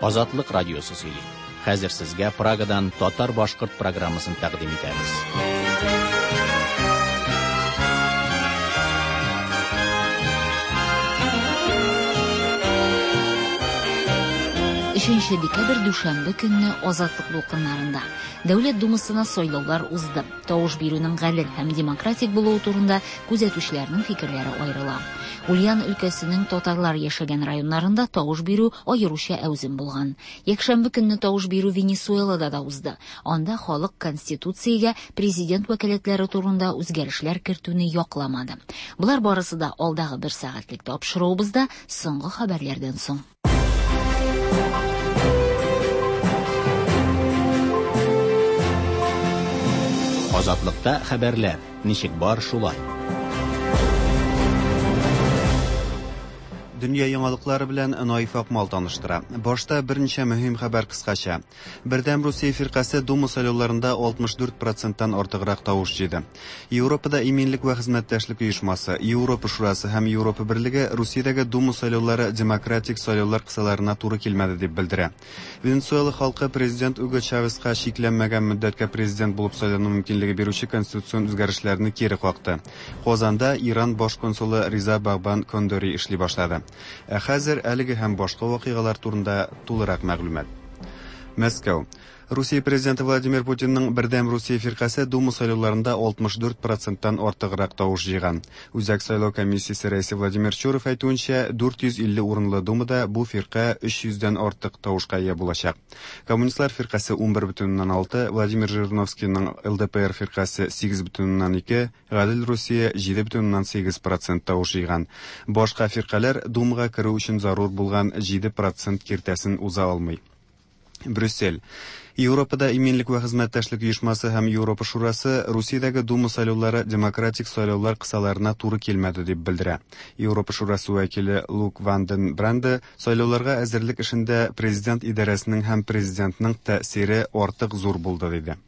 Азатлык радиосы сөйли. Хәзер сезгә Прагадан татар-башкорт программасын тәкъдим итәбез. Өченче декабрь дүшәмбе көнне Азатлык дулкыннарында Дәүләт Думасына сайлаулар узды. Тавыш бирүнең гадел һәм демократик булуы турында күзәтүчеләрнең фикерләре аерыла. Ульян өлкәсенең татарлар яшәгән районнарында тавыш бирү аеруча әүзем булган. Якшәмбе көнне тавыш бирү Венесуэлада да узды. Анда халык Конституциягә президент вәкаләтләре турында үзгәрешләр кертүне якламады. Болар барысы да алдагы бер сәгатьлек тапшыруыбызда соңгы хәбәрләрдән соң. Азатлыкта хәбәрләр ничек бар шулай. Дөнья яңалыклары белән Наиф Акмал таныштыра. Башта берничә мөһим хәбәр кыскача. Бердәм Русия фиркасе Дума сайлауларында 64 проценттан артыграк тавыш җыйды. Европада иминлек вә хезмәттәшлек оешмасы, Европа Шурасы һәм Европа Берлеге Русиядәге Дума сайлаулары демократик сайлаулар кысаларына туры килмәде дип белдерә. Венесуэла халкы президент Уго Чавеска чикләнмәгән мөддәткә президент булып сайлану мөмкинлеге бирүче конституцион үзгәрешләрне кире какты. Казанда Иран баш консулы Риза Багбан Кондори эшли башлады. Ә хәзер әлеге һәм башка вакыйгалар турында тулырак мәгълүмат. Мәскәү. Русия президенты Владимир Путинның Бердәм Русия фиркасе Дума сайлауларында 64 проценттан артыграк тавыш җыйган. Үзәк сайлау комиссиясе рәисе Владимир Чуров әйтүенчә, 450 урынлы Думада бу фирка 300 дән артык тавышка ия булачак. Коммунистлар фиркасе 11,6, Владимир Жириновскийның ЛДПР фиркасе 8,2, Гадел Русия 7,8 процент тавыш җыйган. Башка фиркаләр Думага керү өчен зарур булган 7 процент киртәсен уза алмый. Брюссель. Европада иминлек вә хезмәттәшлек оешмасы һәм Европа Шурасы Русиядәге Дума сайлаулары демократик сайлаулар кысаларына туры килмәде дип белдерә. Европа Шурасы вәкиле Лук Ванден Бранде сайлауларга әзерлек эшендә президент идарәсенең һәм президентның тәэсире артык зур булды диде.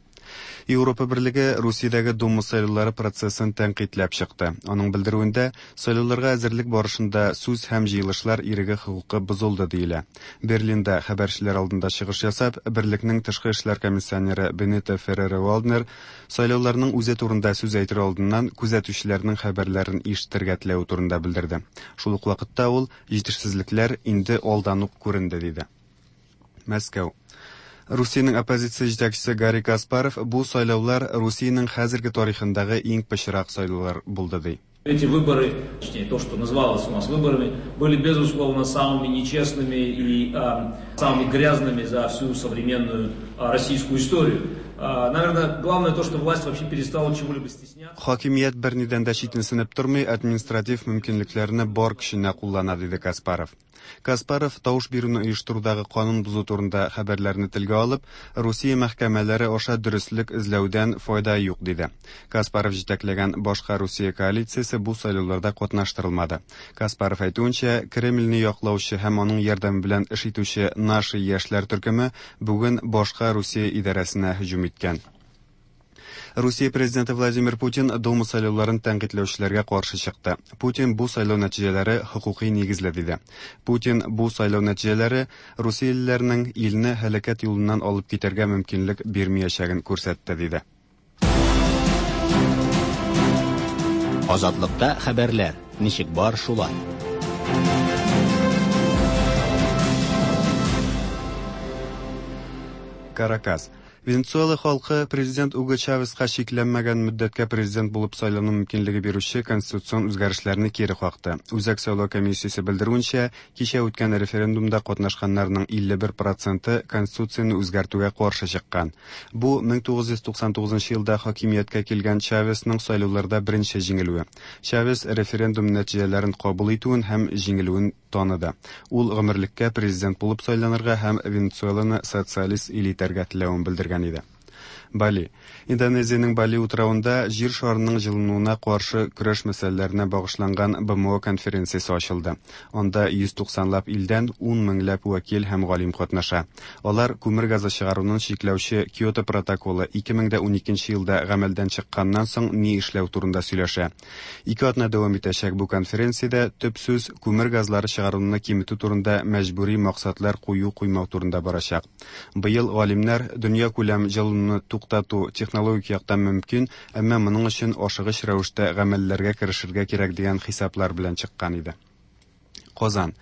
Европа Берлеге Русиядәге Дума сайлаулары процессын тәнкыйтьләп чыкты. Аның белдерүендә, сайлауларга әзерлек барышында сүз һәм җыелышлар иреге хокукы бозылды диелә. Берлинда хәбәрчеләр алдында чыгыш ясап, Берлекнең тышкы эшләр комиссионеры Бенито Ферреро-Валднер сайлауларның үзе турында сүз әйтер алдыннан күзәтүчеләрнең хәбәрләрен ишетергә теләве турында белдерде. Шул ук вакытта ул, җитешсезлекләр инде алдан ук күренде, диде. Мәскәү. Русиянең оппозиция җитәкчесе Гарри Каспаров бу сайлаулар Русиянең хәзерге тарихындагы иң пычрак сайлаулар булды ди. Эти выборы, точнее то, что называлось у нас выборами, были безусловно самыми нечестными и самыми грязными за всю современную российскую историю. Наверное, главное то, что власть вообще перестала чего-либо стесняться. Хакимият бернидән дә читенсенеп тормый, административ мөмкинлекләрне бар көченә куллана, диде Каспаров. Каспаров тавыш бирүне оештырудагы канун бозу турында хәбәрләрне телгә алып, Русия мәхкәмәләре аша дөреслек эзләүдән файда юк, диде. Каспаров җитәкләгән Башка Русия коалициясе бу сайлауларда катнаштырылмады. Каспаров әйтүенчә, Кремльне яклаучы һәм аның ярдәме белән эш итүче Наши яшьләр төркеме бүген Башка Русия идарәсенә һөҗүм иткән. Русия президенты Владимир Путин Дума сайлауларын тәнкыйтьләүчеләргә каршы чыкты. Путин бу сайлау нәтиҗәләре хокукый нигезле диде. Путин бу сайлау нәтиҗәләре русиялеләрнең илне һәлакәт юлыннан алып китәргә мөмкинлек бирмиячәген күрсәтте диде. Азатлыкта хәбәрләр ничек бар шулай. Каракас. Венесуэла халкы президент Уго Чавеска чикләнмәгән мөддәткә президент булып сайлану мөмкинлеге бирүче конституцион үзгәрешләрне кире какты. Үзәк сайлау комиссиясе белдерүенчә, кичә үткән референдумда катнашканнарның 51 проценты конституцияне үзгәртүгә каршы чыккан. Бу 1999 елда хакимияткә килгән Чавесның сайлауларда беренче җиңелүе. Чавес референдум нәтиҗәләрен кабул итүен һәм җиңелүен таныды. Ул гомерлеккә президент булып сайланырга һәм Венесуэланы социалист ил итәргә теләвен белдергән иде. Бали. Индонезиянең Бали утравында Җир шарының җылынуына каршы көрәш мәсьәләләренә багышланган БМО конференциясе ачылды. Анда 190 лап илдән ун меңләп вәкил һәм галим катнаша. Алар күмер газы чыгаруны чикләүче Киото протоколы 2012 елда гамәлдән чыкканнан соң ни эшләү турында сөйләшә. Ике атна дәвам итәчәк бу конференциядә төп сүз күмер газлары чыгаруны киметү турында мәҗбүри максатлар кую-куймау турында барачак. Быел галимнәр дөньякүләм җылынуны туктату технологик яктан мөмкин, әмма моның өчен ашыгыч рәвештә гамәлләргә керешергә кирәк дигән хисаплар белән чыккан иде. Казан.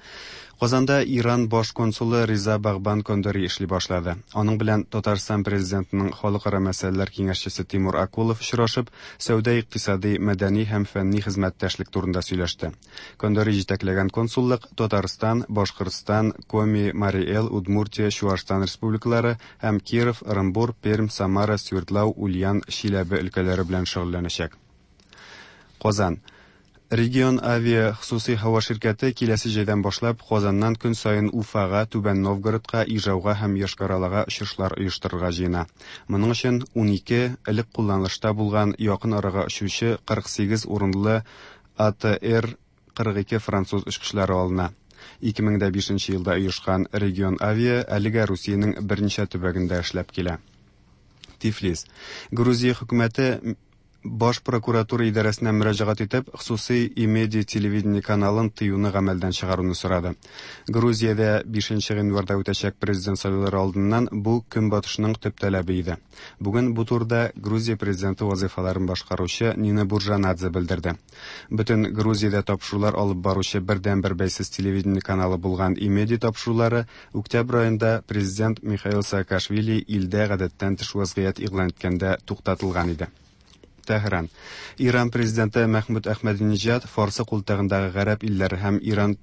Казанда Иран баш консулы Риза Багбан Кондори эшли башлады. Аның белән Татарстан президентының халыкара мәсьәләләр киңәшчесе Тимур Акулов очрашып, сәүдә-икътисади, мәдәни һәм фәнни хезмәттәшлек турында сөйләште. Кондори җитәкләгән консуллык Татарстан, Башкортстан, Коми, Марий Эл, Удмуртия, Чуашстан республикалары һәм Киров, Ырынбур, Пермь, Самара, Свердлау, Ульян, Чиләбе өлкәләре белән шөгыльләнәчәк. Казан. Регион Авиа хосусый һава ширкәте киләсе җәйдән башлап Казаннан көн саен Уфага, Түбән Новгородка, Ижауга һәм Йошкар-Олага очышлар оештырырга җыена. Моның өчен 12 элек кулланылышта булган якын арага очучы 48 урынлы АТР 42 француз очкычлары алына. 2005 елда оешкан Регион Авиа әлегә Русиянең берничә төбәгендә эшләп килә. Тифлис. Грузия хөкүмәте Баш прокуратура идарәсенә мөрәҗәгать итеп, хосусый Имеди телевидение каналын тыюны гамәлдән чыгаруны сорады. Грузиядә 5 гыйнварда үтәчәк президент сайлаулары алдыннан бу Көнбатышның төп таләбе иде. Бүген бу турыда Грузия президенты вазыйфаларын башкаручы Нина Буржанадзе белдерде. Бөтен Грузиядә тапшырулар алып баручы бердәнбер бәйсез телевидение каналы булган Имеди тапшырулары октябрь аенда президент Михаил Саакашвили илдә гадәттән тыш вазгыять игълан иткәндә туктатылган иде. Тәһран. Иран президенты Мәхмүд Әхмәдинеҗад Фарсы култыгындагы гарәп илләре һәм Иран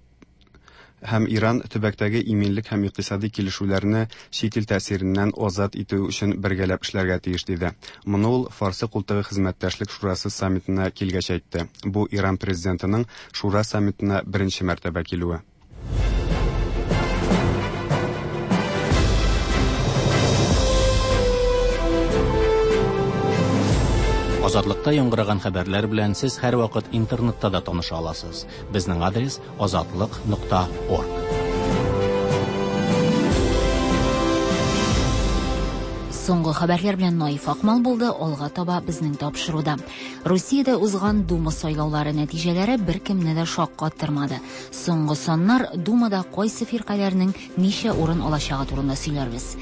һәм Иран төбәктәге иминлек һәм икътисади килешүләрне чит ил тәэсиреннән азат итү өчен бергәләп эшләргә тиеш диде. Моны ул Фарсы култыгы хезмәттәшлек шурасы саммитына килгәч әйтте. Бу Иран президентының шура саммитына беренче мәртәбә килүе. Азатлыкта яңгыраган хәбәрләр белән сез һәрвакыт интернетта да таныша аласыз. Безнең адрес azatliq.org. Соңгы хәбәрләр белән Наиф Акмал булды, алга таба безнең тапшыруда. Русиядә узган Дума сайлаулары нәтиҗәләре беркемне дә шаккаттырмады. Соңгы саннар Думада кайсы фиркаләрнең ничә урын алачагы турында сөйләрбез.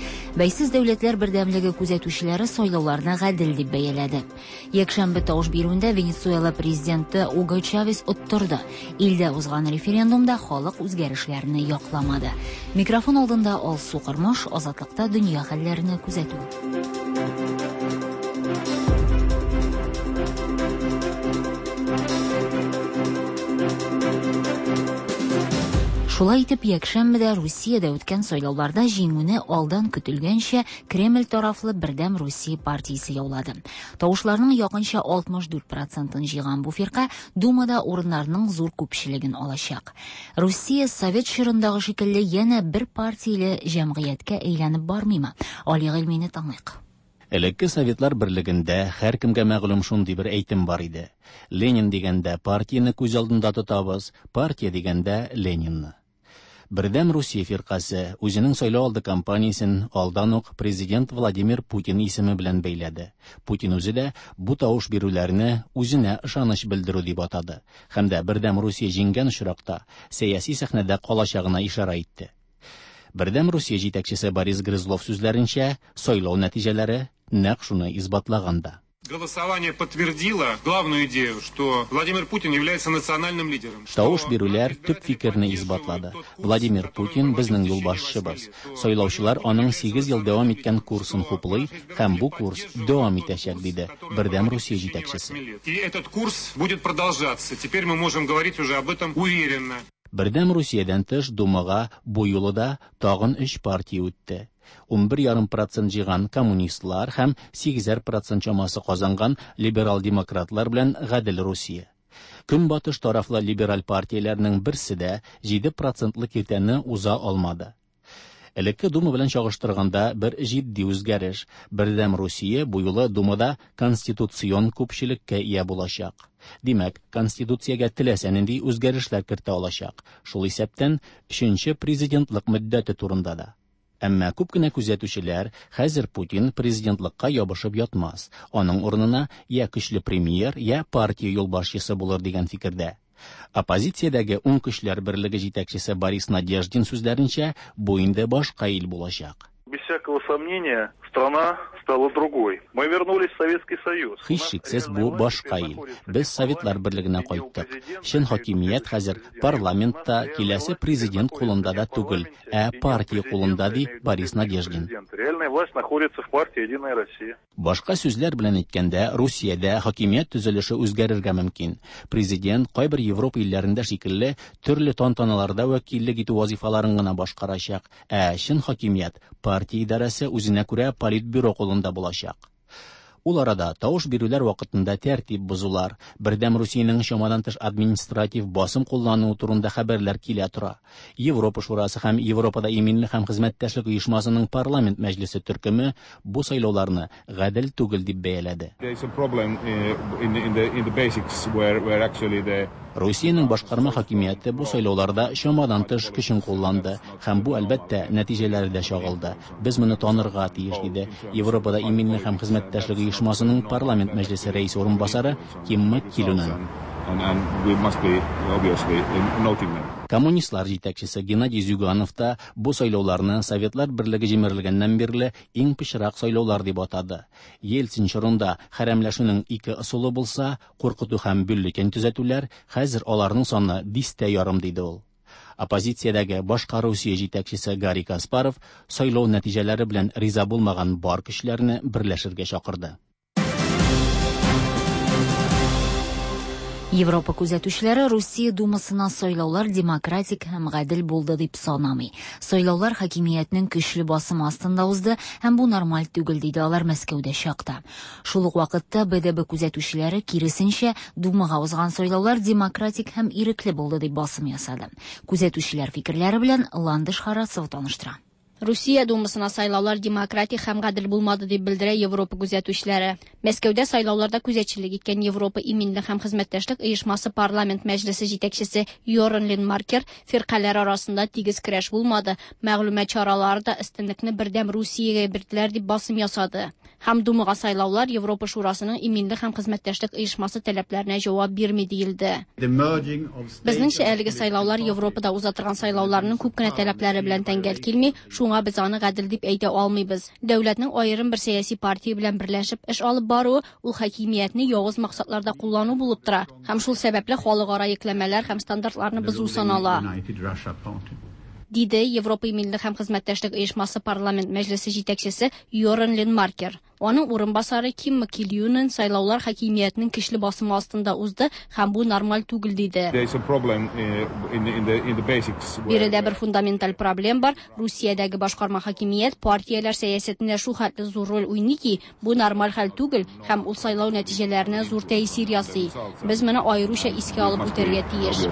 Бәйсез дәүләтләр бердәмлеге күзәтүчеләре сайлауларны гадел дип бәяләде. Якшәмбе тавыш бирүендә Венесуэла президенты Уго Чавес оттырды. Илдә узган референдумда халык үзгәрешләрне якламады. Микрофон алдында Алсу Кырмыш, Азатлыкта дөнья хәлләрен күзәтү. Шулай итеп, якшәмбедә Русиядә үткән сайлауларда җиңүне алдан көтелгәнчә Кремль тарафлы Бердәм Русия партиясе яулады. Тавышларның якынча 64%-ын җыйган бу фирка Думада урыннарның зур күпчелеген алачак. Русия совет чорындагы шикелле янә бер партияле җәмгыятькә әйләнеп бармыймы? Али Гыйльмине тыңлыйк. Элекке Советлар берлегендә һәркемгә мәгълүм шундый бер әйтем бар иде. Ленин дигәндә партияне күз алдында тотабыз, партия дигәндә Ленинны. Бердәм Русия фиркасе үзенең сайлау алды кампаниясен алдан ук президент Владимир Путин исеме белән бәйләде. Путин үзе дә бу тавыш бирүләрне үзенә ышаныч белдерү дип атады. Һәм дә Бердәм Русия җиңгән очракта сәяси сәхнәдә калачагына ишарә итте. Бердәм Русия җитәкчесе Борис Грызлов сүзләренчә, сайлау нәтиҗәләре нәкъ шуны исбатлаган да. Голосование подтвердило главную идею, что Владимир Путин является национальным лидером. Тавыш бирүләр төп фикерне исбатлады. Владимир Путин безнең юлбашчыбыз. Сайлаучылар аның 8 ел дәвам иткән курсын хуплый һәм бу курс дәвам итәчәк, диде Бердәм Русия җитәкчесе. И этот курс будет продолжаться. Теперь мы можем говорить уже об этом уверенно. Бердәм Русиядән тыш Думага бу юлы да тагын 3 партия үтте. 11,5% җыйган коммунистлар һәм 8% чамасы казанган либерал-демократлар белән Гадел Русия. Көнбатыш тарафлы либераль партияләрнең берсе дә 7%лы киртәне уза алмады. Элекке Дума белән чагыштырганда бер җитди үзгәреш. Бердәм Русия бу юлы Думада конституцион күпчелеккә ия булачак. Димәк, Конституциягә теләсә нинди үзгәрешләр кертә алачак, шул исәптән өченче президентлык мөддәте турында да. Әмма күп кенә күзәтүчеләр хәзер Путин президентлыкка ябышып ятмас, аның урынына я көчле премьер, я партия юлбашчысы булыр дигән фикердә. Оппозициядәге Уң көчләр берлеге җитәкчесе Борис Надеждин сүзләренчә, бу инде башка ил булачак. Без всякого сомнения, страна стала другой. Мы вернулись в Советский Союз. Һичшиксез, бу башка ил. Без Советлар берлегенә кайттык. Чын хакимият хәзер парламентта, киләсе президент кулында да түгел, ә партия кулында, ди Борис Надеждин. Реальная власть находится в партии «Единая Россия». Башка сүзләр белән әйткәндә, Русиядә хакимият төзелеше үзгәрергә мөмкин. Президент, кайбер Европа илләрендә шикелле, төрле тантаналарда вәкиллек итү вазифаларын гына башкарачак, ә чын хакимият партия идарәсе үзенә күрә политбюро кулында булачак. Ул арада тавыш бирүләр вакытында тәртип бозулар, Бердәм Русиянең чамадан тыш административ басым куллануы турында хәбәрләр килә тора. Европа Шурасы һәм Европада иминлек һәм хезмәттәшлек оешмасының парламент мәҗлесе төркеме бу сайлауларны гадел түгел дип бәяләде. Русиянең башкарма хакимияте бу сайлауларда чамадан тыш көчен кулланды һәм бу, әлбәттә, нәтиҗәләрдә чагылды. Без моны танырга тиеш, диде Европада иминлек һәм хезмәттәшлек оешмасының парламент мәҗлесе рәисе урынбасары Кимма Килюнен. Коммунистлар җитәкчесе Геннадий Зюганов та бу сайлауларны Советлар берлеге җимерелгәннән бирле иң пычрак сайлаулар дип атады. Ельцин чорында хәрәмләшүнең ике ысулы булса, куркыту һәм бюллетень төзәтүләр, хәзер аларның саны дистә ярым, диде ул. Оппозициядәге башка Русия җитәкчесе Гарри Каспаров сайлау нәтиҗәләре белән риза булмаган бар көчләрне берләшергә чакырды. Европа күзәтүчеләре Русия Думасына сайлаулар демократик һәм гадел булды дип санамый. Сайлаулар хакимиятнең көчле басымы астында узды һәм бу нормаль түгел, диде алар Мәскәүдә чакта. Шул ук вакытта БДБ күзәтүчеләре киресенчә Думага узган сайлаулар демократик һәм ирекле булды дип басым ясады. Күзәтүчеләр фикерләре белән Ландыш Харасова таныштыра. Русия Думасына сайлаулар демократик һәм гадел булмады дип белдерә Европа күзәтүчеләре. Мәскәүдә сайлауларда күзәтчелек иткән Европа иминлек һәм хезмәттәшлек оешмасы парламент мәҗлесе җитәкчесе Йорен Ленмаркер фиркаләр арасында тигез көрәш булмады, мәгълүмат чаралары да өстенлекне бердәм Русиягә бирделәр дип басым ясады. Һәм Думага сайлаулар Европа Шурасының иминлек һәм хезмәттәшлек оешмасы таләпләренә җавап бирми диелде. Безнеңчә әлеге сайлаулар Европада уза торган сайлауларның күп кенә таләпләре белән тәңгәл килми, шуңа без аны гадел дип әйтә алмыйбыз. Дәүләтнең аерым бер сәяси партия белән берләшеп эш алып баруы ул хакимиятне явыз максатларда куллану булып тора һәм шул сәбәпле халыкара йөкләмәләр һәм стандартларны бозу санала. Диде Европа иминлек һәм хезмәттәшлек оешмасы парламент мәҗлесе җитәкчесе Йорен Ленмаркер. Аның урынбасары Ким Килюнен сайлаулар хакимиятнең көчле басымы астында узды һәм бу нормаль түгел диде. Биредә бер фундаменталь проблем бар. Русиядәге башкарма хакимият партияләр сәясәтендә шул хәтле зур роль уйный ки, бу нормаль хәл түгел һәм ул сайлау нәтиҗәләренә зур тәэсир ясый. Без моны аеруча искә алып үтәргә тиеш.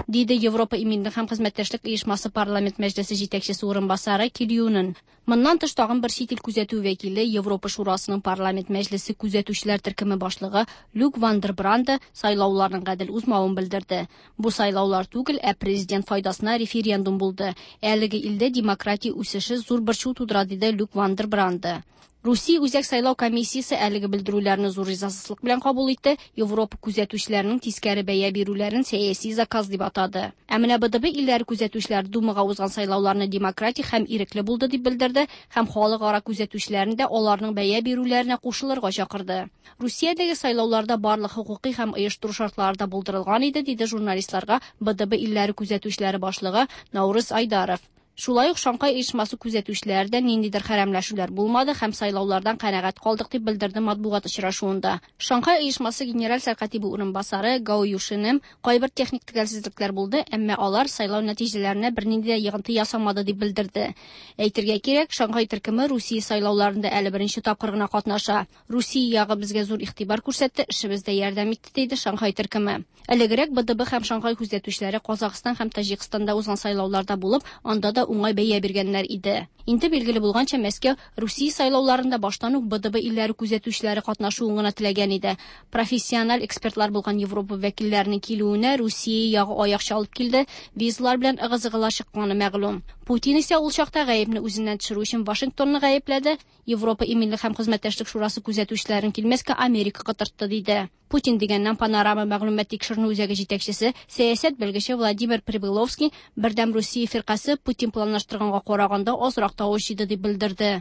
Диде Европа иминлек һәм хезмәттәшлек оешмасы парламент мәҗлесе җитәкчесе урынбасары Килюнен. Моннан тыш тагын бер чит ил күзәтү вәкиле Европа Шурасының парламент мәҗлесе күзәтүчеләр төркеме башлыгы Люк Вандербранде сайлауларның гадел узмавын белдерде. Бу сайлаулар түгел, ә президент файдасына референдум булды. Әлеге илдә демократия үсеше зур борчу тудыра, диде Люк Вандербранде. Русия Үзәк сайлау комиссиясе әлеге белдерүләрне зур ризасызлык белән кабул итте. Европа күзәтүчеләренең тискәре бәя бирүләрен сәяси заказ дип атады. Ә менә БДБ илләре күзәтүчеләре Думага узган сайлауларны демократик һәм ирекле булды дип белдерде һәм халыкара күзәтүчеләрен дә аларның бәя бирүләренә кушылырга чакырды. Русиядәге сайлауларда барлык хокукый һәм оештыру шартлары да булдырылган иде, диде журналистларга БДБ илләре күзәтүчеләре башлыгы Наурыз Айдаров. Шулай ук Шанхай оешмасы күзәтүчеләре дә ниндидер хәрәмләшүләр булмады һәм сайлаулардан канәгать калдык дип белдерде матбугат очрашуында. Шанхай оешмасы генераль сәркатибе урынбасары Гао Юшинем кайбер техник төгәлсезлекләр булды, әмма алар сайлау нәтиҗәләренә бернинди дә йогынты ясамады дип белдерде. Әйтергә кирәк, Шанхай төркеме Русия сайлауларында әле беренче тапкыр гына катнаша. Русия ягы безгә зур игътибар күрсәтте, эшебездә ярдәм итте, диде Шанхай төркеме. Элегрәк БДБ һәм Шанхай күзәтүчеләре Казахстан һәм Таҗикстанда узган сайлауларда булып, анда да да уңай бәя биргәннәр иде. Инде билгеле булганча, Мәскәү Русия сайлауларында баштан ук БДБ илләре күзәтүчеләре катнашуын гына теләгән иде. Профессиональ экспертлар булган Европа вәкилләренең килүенә Русия ягы аяк чалып килде, визалар белән ыгы-зыгылар чыкканы мәгълүм. Путин исә ул чакта гаепне үзеннән төшерү өчен Вашингтонны гаепләде, Европа иминлек һәм хезмәттәшлек шурасы күзәтүчеләрен килмәскә Америка котыртты, диде. Путин дигәннән Панорама мәгълүмат тикшеренү үзәге җитәкчесе, сәясәт белгече Владимир Прибыловский Бердәм Русия фиркасе Путин планлаштырганга караганда азрак тавыш җыйды дип белдерде.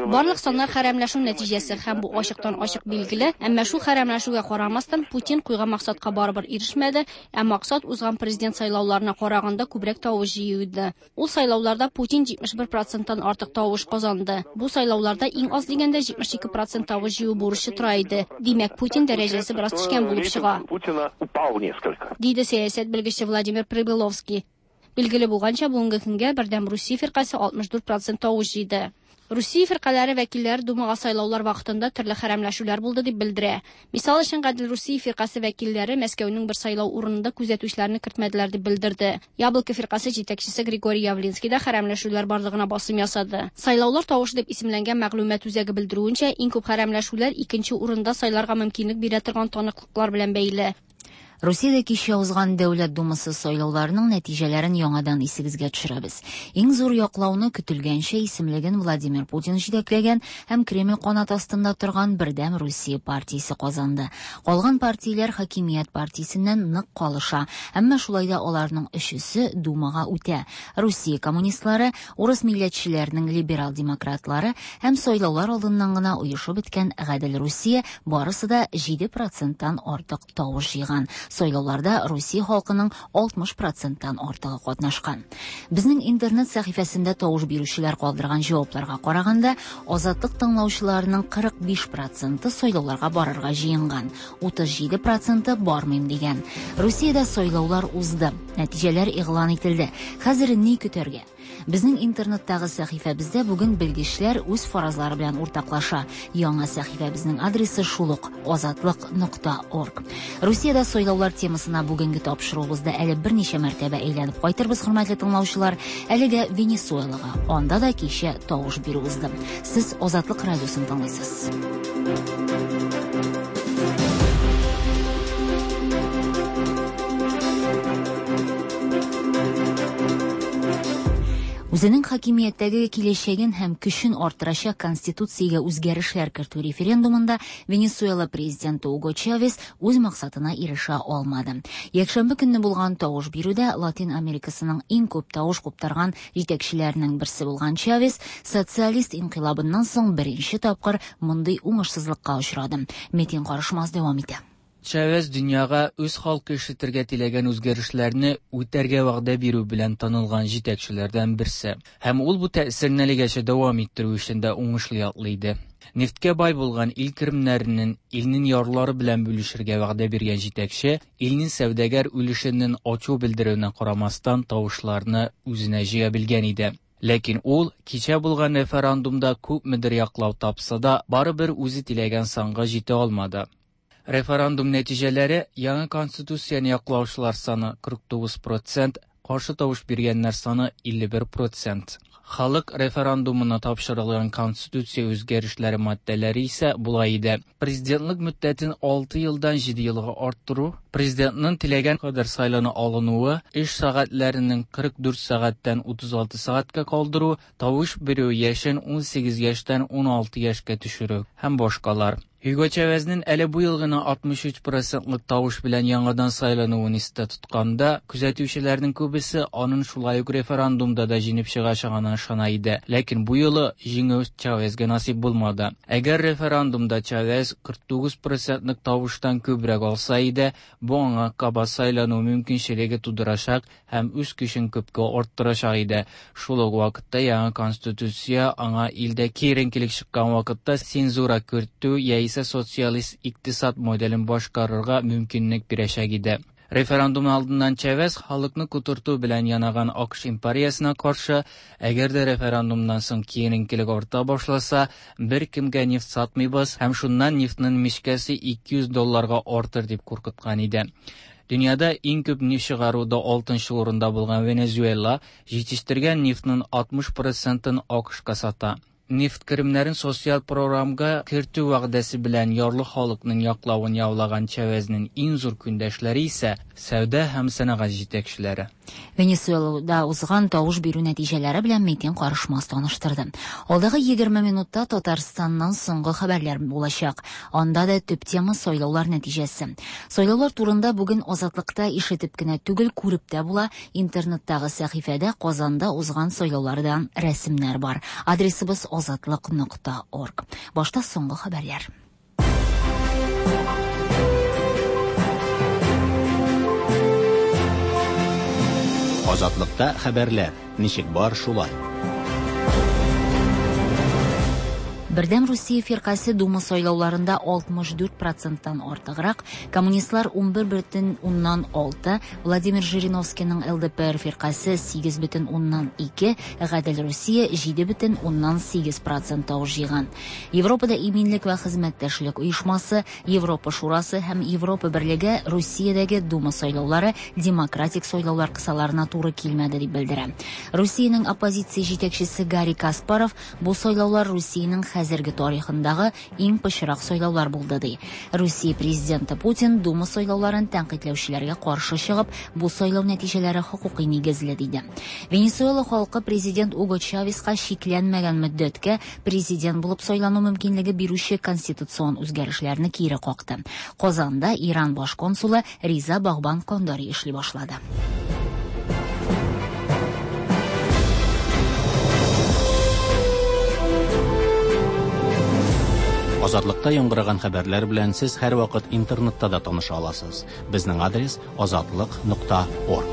Барлык саннар хәрәмләшү нәтиҗәсе һәм бу ачыктан-ачык билгеле, әмма шул хәрәмләшүгә карамастан, Путин куйган максатка барыбер ирешмәде, ә максат узган президент сайлауларына караганда күбрәк тавыш җыю иде. Ул сайлауларда Путин 71 проценттан артык тавыш казанды. Бу сайлауларда иң аз дигәндә 72 процент тавыш җыю бурычы тора иде. Димәк, Путин дәрәҗәсе бераз төшкән булып чыга. Путина упал несколько. Диде сәясәт белгече Владимир Прибыловский. Билгеле булганча, бүгенге көнгә Бердәм Русия фиркасе 64 процент тавыш җыйды. Русия фиркаләре вәкилләре Думага сайлаулар вакытында төрле хәрәмләшүләр булды дип белдерә. Мисал өчен, Гадел Русия фиркасе вәкилләре Мәскәүнең бер сайлау урынында күзәтүчеләрне кертмәделәр дип белдерде. Яблоко фиркасе җитәкчесе Григорий Явлинский да хәрәмләшүләр барлыгына басым ясады. Сайлаулар тавышы дип исемләнгән мәгълүмат үзәге белдерүенчә, иң күп хәрәмләшүләр икенче урында сайларга мөмкинлек бирә торган таныклыклар белән бәйле. Русиядә кичә узган Дәүләт Думасы сайлауларының нәтиҗәләрен яңадан исегезгә төшерәбез. Иң зур яклауны көтелгәнчә исемлеген Владимир Путин җитәкләгән һәм Кремль канат астында торган Бердәм Русия партиясе казанды. Калган партияләр хакимият партиясеннән нык калыша, әмма шулай да аларның өчесе Думага үтә. Русия коммунистлары, урыс милләтчеләренең либерал-демократлары һәм сайлаулар алдыннан гына оешып беткән Гадел Русия барысы да 7 проценттан артык тавыш җыйган. Сайлауларда Русия халкының 60 проценттан артыгы катнашкан. Безнең интернет сәхифәсендә тавыш бирүчеләр калдырган җавапларга караганда, Азатлык тыңлаучыларының 45 проценты сайлауларга барырга җыенган, 37 проценты бармыйм дигән. Русиядә сайлаулар узды. Нәтиҗәләр игълан ителде. Хәзер ни көтәргә? Безнең интернеттагы сәхифәбездә бүген белгечләр үз фаразлары белән уртаклаша. Яңа сәхифәбезнең адресы шул ук azatliq.org. Русиядә сайлаулар темасына бүгенге тапшыруыбызда әле берничә мәртәбә әйләнеп кайтырбыз, хөрмәтле тыңлаучылар. Әлегә Венесуэлага. Анда да кичә тавыш бирү узды. Сез Азатлык радиосын тыңлыйсыз. Үзенең хакимияттәге киләчәген һәм көчен арттырачак конституциягә үзгәрешләр кертү референдумында Венесуэла президенты Уго Чавес үз максатына ирешә алмады. Якшәмбе көнне булган тавыш бирүдә Латин Америкасының иң күп тавыш куптарган җитәкчеләренең берсе булган Чавес социалист инкыйлабыннан соң беренче тапкыр мондый уңышсызлыкка очрады. Метин Карышмаз дәвам итә. Чавес дөньяга үз халкы ишетергә теләгән үзгәрешләрне үтәргә вәгъдә бирү белән танылган җитәкчеләрдән берсе. Һәм ул бу тәэсирне әлегәчә дәвам иттерү эшен дә уңышлы яклый иде. Нефткә бай булган ил керемнәренең илнең ярлары белән бүлешергә вәгъдә биргән җитәкче илнең сәүдәгәр өлешенең ачу белдерүенә карамастан тавышларны үзенә җыя белгән иде. Ләкин ул кичә булган референдумда күпмедер яклау тапса да, барыбер үзе теләгән санга җитә алмады. Референдум нәтиҗәләре яңа конституцияне яклаучылар саны 49%, каршы тавыш биргәннәр саны 51%. Халык референдумына тапшырылган конституция үзгәрешләре маддәләре исә болай иде. Президентлык мөддәтен 6 елдан 7 елга арттыру, президентның теләгән кадәр сайлана алынуы, эш сәгатьләренең 44 сәгатьтән 36 сәгатькә калдыру, тавыш бирү яшен 18 яшьтән 16 яшькә төшерү һәм башкалар. Hugo Chavezның әле бу ел гына 63 процентлык тавыш белән яңадан сайлануын истә тотканда, күзәтүчеләрнең күбесе аның шулай ук референдумда да җиңеп чыгачагына ышана иде. Ләкин бу юлы җиңү Чавезгә насыйп булмады. Әгәр референдумда Чавез 49 процентлык тавыштан күбрәк алса иде, бу аңа кабат сайлану мөмкинчелеге тудырачак һәм үз көчен күпкә арттырачак иде. Шул ук вакытта яңа конституция аңа илдә киеренкелек чыккан вакытта цензура кертү яисә социалист икътисад моделен башкарырга мөмкинлек бирәчәк иде. Референдум алдыннан Чавес халыкны котырту белән янаган АКШ империясына каршы, әгәр дә референдумнан соң киеренкелек арта башласа, беркемгә нефть сатмыйбыз һәм шуннан нефтьнең мичкәсе 200 долларга артыр дип куркыткан иде. Дөньяда иң күп нефть чыгаруда 6 урында булган Венесуэла җитештергән нефтьнең 60 процентын АКШка сата. Нефть керемнәрен социаль програмга кертү вәгъдәсе белән ярлы халыкның яклавын яулаган Чавезнең иң зур көндәшләре исә сәүдә һәм сәнәгать җитәкчеләре. Венесуэлада узган тавыш бирү нәтиҗәләре белән Метин Карышмас таныштырды. Алдагы 20 минутта Татарстаннан соңгы хәбәрләр булачак. Анда да төп тема сайлаулар нәтиҗәсе. Сайлаулар турында бүген Азатлыкта ишетеп кенә түгел, күреп тә була. Интернеттагы сәхифәдә Казанда узган сайлаулардан рәсемнәр бар. Адресыбыз азатлык.орг. Башта соңгы хәбәрләр. Азатлыкта хәбәрләр. Ничек бар шулай. Бердәм Русия фиркасе Дума сайлауларында 64 проценттан артыграк, коммунистлар 11,6, Владимир Жириновскийның ЛДПР фиркасе 8,2, Гадел Русия 7,8 процент тавыш җыйган. Европада иминлек вә хезмәттәшлек оешмасы, Европа Шурасы һәм Европа Берлеге Русиядәге Дума сайлаулары демократик сайлаулар кысаларына туры килмәде дип белдерә. Русиянең оппозиция җитәкчесе Гарри Каспаров бу сайлаулар Русиянең хәзерге тарихындагы иң пычрак сайлаулар булды ди. Русия президенты Путин Дума сайлауларын тәнкыйтьләүчеләргә каршы чыгып, бу сайлау нәтиҗәләре хокукый нигезле диде. Венесуэла халкы президент Уго Чавеска шикләнмәгән мөддәткә президент булып сайлану мөмкинлеге бирүче конституцион үзгәрешләрне кире какты. Казанда Иран баш консулы Риза Багбан Кондари эшли башлады. Азатлыкта яңгыраган хәбәрләр белән сез һәрвакыт интернетта да таныша аласыз. Безнең адрес азатлык.орг.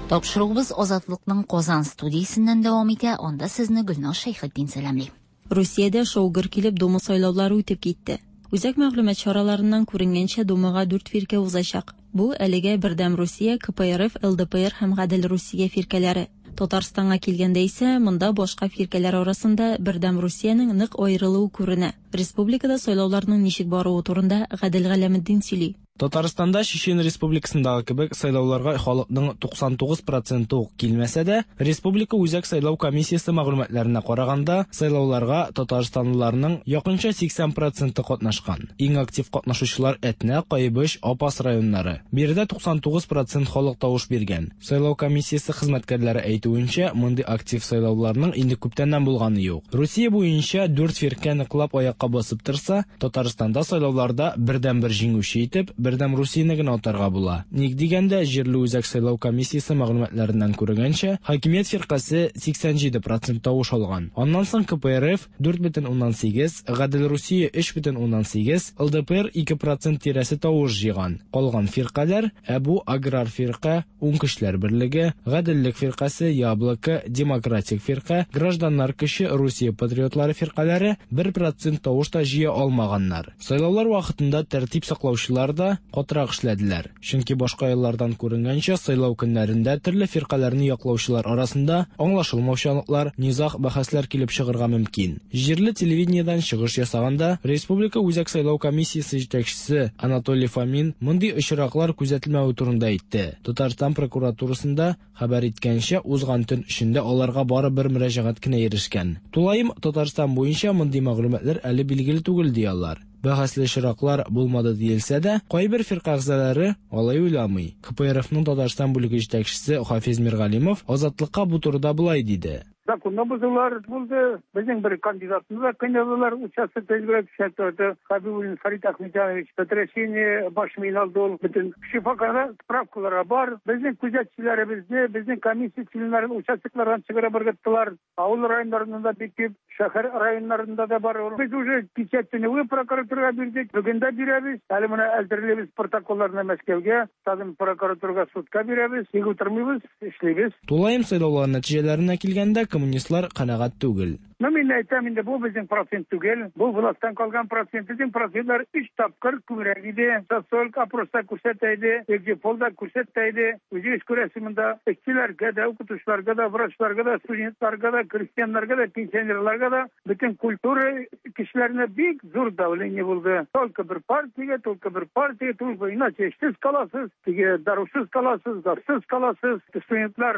Тапшыруыбыз Азатлыкның Казан студиясеннән дәвам итә. Анда сезне Гөлназ Шәйхетдин сәламли. Русиядә шау-гөр килеп Дума сайлаулары үтеп китте. Үзәк мәгълүмат чараларыннан күренгәнчә, Думага дүрт фиркә узачак. Бу әлегә Бердәм Русия, КПРФ, ЛДПР һәм Гадел Русия фиркәләре. Татарстанга килгәндә исә, монда башка фиркәләр арасында Бердәм Русиянең нык аерылуы күренә. Республикада сайлауларның ничек баруы турында Гадел Галәметдин сөйли. Татарстанда Чечен Республикасындагы кебек сайлауларга халыкның 99 проценты ук килмәсә дә, Республика Үзәк сайлау комиссиясе мәгълүматларына караганда, сайлауларга татарстанлыларның якынча 80 проценты катнашкан. Иң актив катнашучылар Әтнә, Кайбыч, Апас районнары. Биредә 99 процент халык тавыш биргән. Сайлау комиссиясе хезмәткәрләре әйтүенчә, мондый актив сайлауларның инде күптәннән булганы юк. Русия буенча дүрт фиркә ныклап аякка басып торса, Татарстанда сайлауларда бердәнбер җиңүче итеп Бердәм Русияне генә атарга була. Ник дигәндә, җирле үзәк сайлау комиссиясе мәгълүматларыннан күренгәнчә, хакимият фиркасе 87 процент тавыш алган. Аннан соң КПРФ 4,8, Гадел Русия 3,8, ЛДПР 2 процент тирәсе тавыш җыйган. Калган фиркаләр, ә бу Аграр фирка, Уң көчләр берлеге, Гаделлек фиркасе, Яблоко, Демократик фирка, Гражданнар көче, Русия патриотлары фиркаләре 1 процент тавыш та җыя алмаганнар. Сайлаулар вакытында тәртип саклаучылар да катырак эшләделәр. Чөнки башка еллардан күренгәнчә, сайлау көннәрендә төрле фиркаләрне яклаучылар арасында аңлашылмаучанлыклар, низаг, бәхәсләр килеп чыгарга мөмкин. Җирле телевидениедән чыгыш ясаганда, Республика Үзәк сайлау комиссиясе җитәкчесе Анатолий Фомин мондый очраклар күзәтелмәве турында әйтте. Татарстан прокуратурасында хәбәр иткәнчә, узган төн эчендә аларга бары бер мөрәҗәгать кенә ирешкән. Тулаем Татарстан буенча мондый мәгълүматлар әле билгеле түгел, ди алар. Бәхәсле очраклар булмады диелсә дә, кайбер фирка әгъзалары алай уйламый. КПРФның Татарстан бүлеге җитәкчесе Хафиз Миргалимов Азатлыкка бу турыда болай диде. Законны бозулар булды. Безнең бер кандидатны да кыйнадылар. Участокта избиратель Хабибуллин Фарид Ахметянович сотрясение баш миен алды ул. Бөтен шифаханә справкалары бар. Безнең күзәтчеләребезне, безнең комиссия членнарын участоклардан чыгарып ыргыттылар. Авыл районнарында да бик күп, шәһәр районнарында да бар. Без уже кичә төнге прокуратурага бирдек, бүген дә бирәбез. Әле менә әзерлибез протоколларны Мәскәүгә, тагын прокуратурага, судка бирәбез. Тик утырмыйбыз, эшлибез. Тулаем сайлаулар нәтиҗәләренә килгәндә, коммунистлар канәгать түгел. Ну, мин әйтәм инде, бу безнең процент түгел, бу властьтан калган процент. Безнең процентлар 3 тапкыр күбрәк иде. Социаль опроста күрсәтә иде, экзит-пол да күрсәтә иде. Үзегез күрәсез монда эшчеләргә дә, укытучыларга да, врачларга да, студентларга да, крестьяннарга да, пенсионерларга да, бөтен культура кешеләренә бик зур давление булды. Только бер партиягә, только бер партия, только иначе эшсез каласыз, теге дарусыз каласыз, газсыз каласыз, студентлар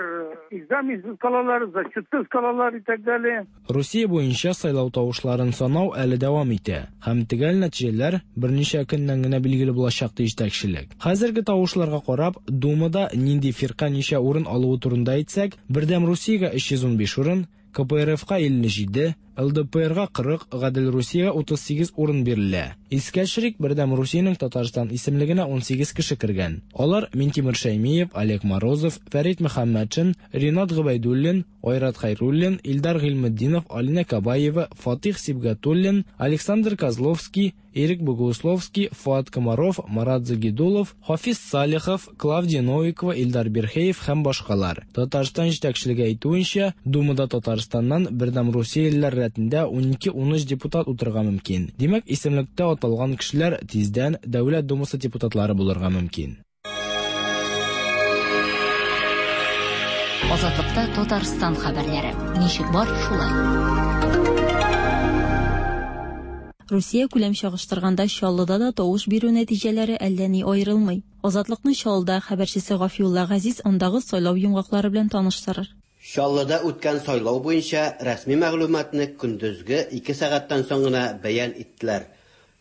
экзаменсыз калалар, зачетсыз калалар и так далее. Русия буенча сайлау тавышларын санау әле дәвам итә һәм төгәл нәтиҗәләр берничә көннән генә билгеле булачак, ди җитәкчелек. Хәзерге тавышларга карап, Думада нинди фирка ничә урын алуы турында әйтсәк, Бердәм Русиягә 315 урын, КПРФка 57, ЛДПРга 40, Гадел Русиягә 38 урын бирелә. Искә төшерик, Бердәм Русиянең Татарстан исемлегенә 18 кеше кергән. Алар, Минтимер Шәймиев, Олег Морозов, Фәрит Мөхәммәтшин, Ринат Гобәйдуллин, Айрат Хәйруллин, Илдар Гыйльметдинов, Алинә Кабаева, Фатих Сибгатуллин, Александр Козловский, Ирек Богусловский, Фоат Комаров, Марат Загидулов, Хафиз Салихов, Клавдия Новикова, Илдар Бирхеев һәм башкалар. Татарстан җитәкчелеге әйтүенчә, Думада Татарстаннан Бердәм Русиялеләр рәтендә 12-13 депутат утырырга мөмкин. Димәк, исемлектә аталган кешеләр тиздән Дәүләт Думасы депутатлары булырга мөмкин. Азатлыкта Татарстан хәбәрләре. Ничек бар, шулай. Русия күләм чагыштырганда Чаллыда да тавыш бирү нәтиҗәләре әллә ни аерылмый. Азатлыкның Чаллыда хәбәрчесе Гафиулла Газиз андагы сайлау йомгаклары белән таныштырыр. Чаллыда үткән сайлау буенча рәсми мәгълүматны көндезге 2 сәгатьтән соң гына бәян иттеләр.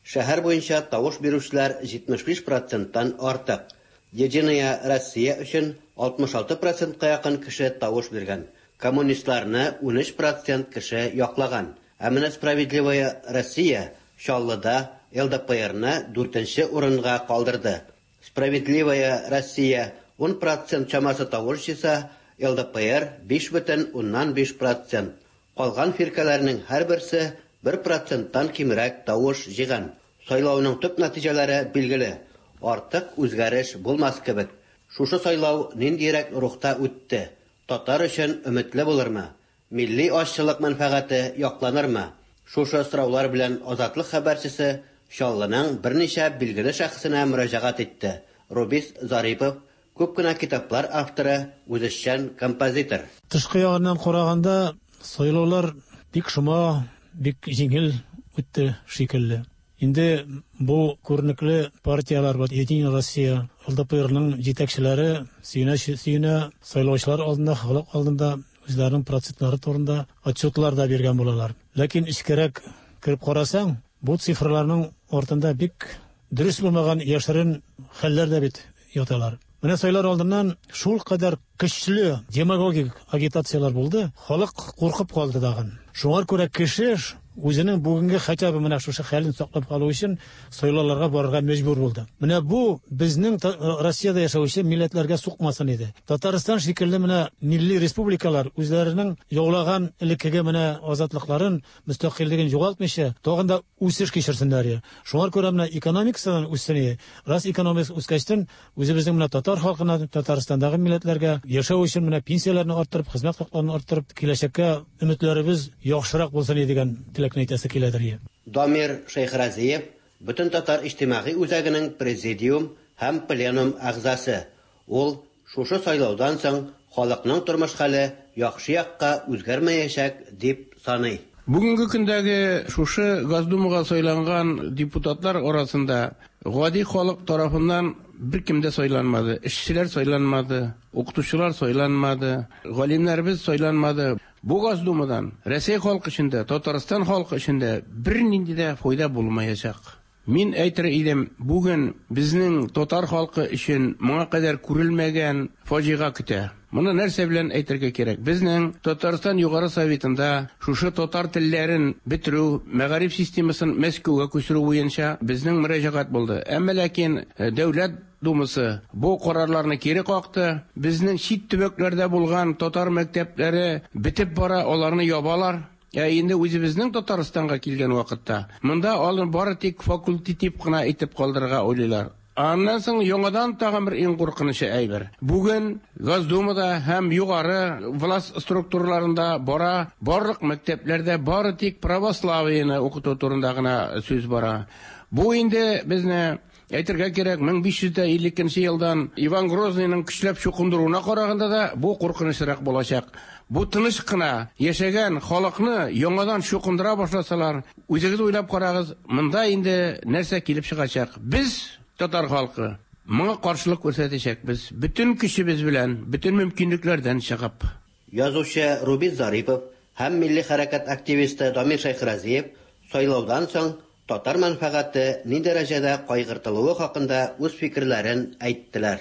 Шәһәр буенча тавыш бирүчеләр 75 проценттан артык. Единая Россия өчен 66 процентка якын кеше тавыш биргән. Коммунистларны 13 процент кеше яклаган. Ә менә Справедливая Россия Чаллыда ЛДПРны дүртенче урынга калдырды. Справедливая Россия 10 процент чамасы тавыш җыйса, ЛДПР 5,5 процент. Калган фиркәләрнең һәрберсе 1 проценттан кимрәк тавыш җыйган. Сайлауның төп нәтиҗәләре билгеле. Артык үзгәреш булмас кебек. Шушы сайлау ниндирәк рухта үтте? Татар өчен өметле булырмы? Милли азчылык мәнфәгате якланырмы? Шушы сораулар белән Азатлык хәбәрчесе Чаллының берничә билгеле шәхесенә мөрәҗәгать итте. Рубис Зарипов, күп кенә китаплар авторы, үзешчән композитор. Тышкы ягыннан караганда, сайлаулар бик шома, бик җиңел үтте шикелле. Инде бу күренекле партияләр, вот Единая Россия, ЛДПРның җитәкчеләре сөенә-сөенә сайлаучылар алдында, халык алдында үзләренең процентлары турында отчетлар да биргән булалар. Ләкин эчкәрәк кереп карасаң, бу цифрларның артында бик дөрес булмаган яшерен хәлләр дә бит яталар. Менә сайлар алдыннан шул кадәр көчле демагогик агитацияләр булды, халык куркып калды тагын. Шуңар күрә кеше үзенең бүгенге хотя бы менә шушы хәлен саклап калу өчен сайлауларга барырга мәҗбүр булды. Менә бу безнең Россиядә яшәүче милләтләргә сукмасын иде. Татарстан шикелле менә милли республикалар үзләренең яулаган элеккеге менә азатлыкларын, мөстәкыйльлеген югалтмыйча, тагын да үсеш кичерсеннәр. Шуңар күрә менә экономикасынан үссен. Рас экономикасы үскәчтен үзебезнең менә татар халкына, Татарстандагы милләтләргә яшәү өчен менә пенсияләрне арттырып, хезмәт хакларын арттырып, киләчәккә өметләребез яхшырак булсын дигән теләкне әйтәсе киләдер. Дамир Шәйхразиев, Бөтен татар иҗтимагый үзәгенең президиум һәм пленум әгъзасы. Ул шушы сайлаудан соң халыкның тормыш хәле яхшы якка үзгәрмәячәк дип саный. Бүгенге көндәге шушы Госдумага сайланган депутатлар арасында гади халык тарафыннан беркем дә сайланмады. Эшчеләр сайланмады, укытучылар сайланмады, галимнәребез сайланмады. Бу Госдумадан Россия халкы өчен дә, Татарстан халкы өчен дә бернинди дә файда булмаячак. Мин әйтер идем, бүген безнең татар халкы өчен моңа кадәр күрелмәгән фаҗига көтә. Моны нәрсә белән әйтергә кирәк? Безнең Татарстан Югары Советында шушы татар телләрен бетерү, мәгариф системасын Мәскәүгә күчерү буенча безнең мөрәҗәгать булды. Әмма ләкин Дәүләт Думасы бу карарларны кире какты. Безнең чит төбәкләрдә булган татар мәктәпләре бетеп бара, аларны ябалар. Ә инде үзебезнең Татарстанга килгән вакытта, монда алар бары тик факультатив кына итеп калдырырга уйлыйлар. Аннан соң яңадан тагын бер иң куркынычы әйбер. Бүген Госдумада һәм югары власть структураларында бара, барлык мәктәпләрдә бары тик православиене укыту турында гына сүз бара. Бу инде безне әйтергә кирәк, 1552 елдан Иван Грозныйның көчләп чукындыруына караганда да бу куркынычрак булачак. Бу тыныч кына яшәгән халыкны яңадан чукындыра башласалар, үзегез уйлап карагыз, монда инде нәрсә килеп чыгачак. Без, татар халкы, моңа каршылык күрсәтәчәкбез, бөтен көчебез белән, бөтен мөмкинлекләрдән чыгып. Язучы Рубин Зарипов һәм милли хәрәкәт активисты Дамир Шәйхразиев сайлаудан соң татар мәнфәгате ни дәрәҗәдә кайгыртылуы хакында үз фикерләрен әйттеләр.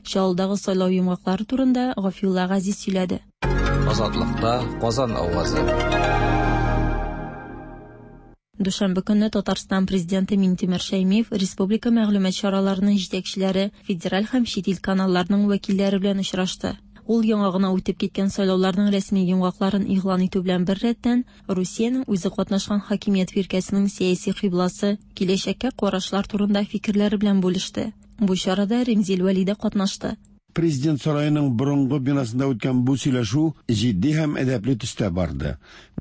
Чаллыдагы сайлау йомгаклары турында Гафиулла Газиз сөйләде. Азатлыкта Казан авазы. Дүшәмбе көнне Татарстан Президенты Минтимер Шәймиев республика мәгълүмат чараларының җитәкчеләре, федераль һәм чит ил каналларының вәкилләре белән очрашты. Ул яңа гына үтеп киткән сайлауларның рәсми йомгакларын игълан итү белән беррәттән, Русиянең үзе катнашкан хакимият фиркәсенең сәяси кыйбласы, киләчәккә карашлар турында фикерләре белән бүлеште. Бу чарада Римзил Вәли дә катнашты. Президент сараеның борынгы бинасында үткән бу сөйләшү җитди һәм әдәпле төстә барды.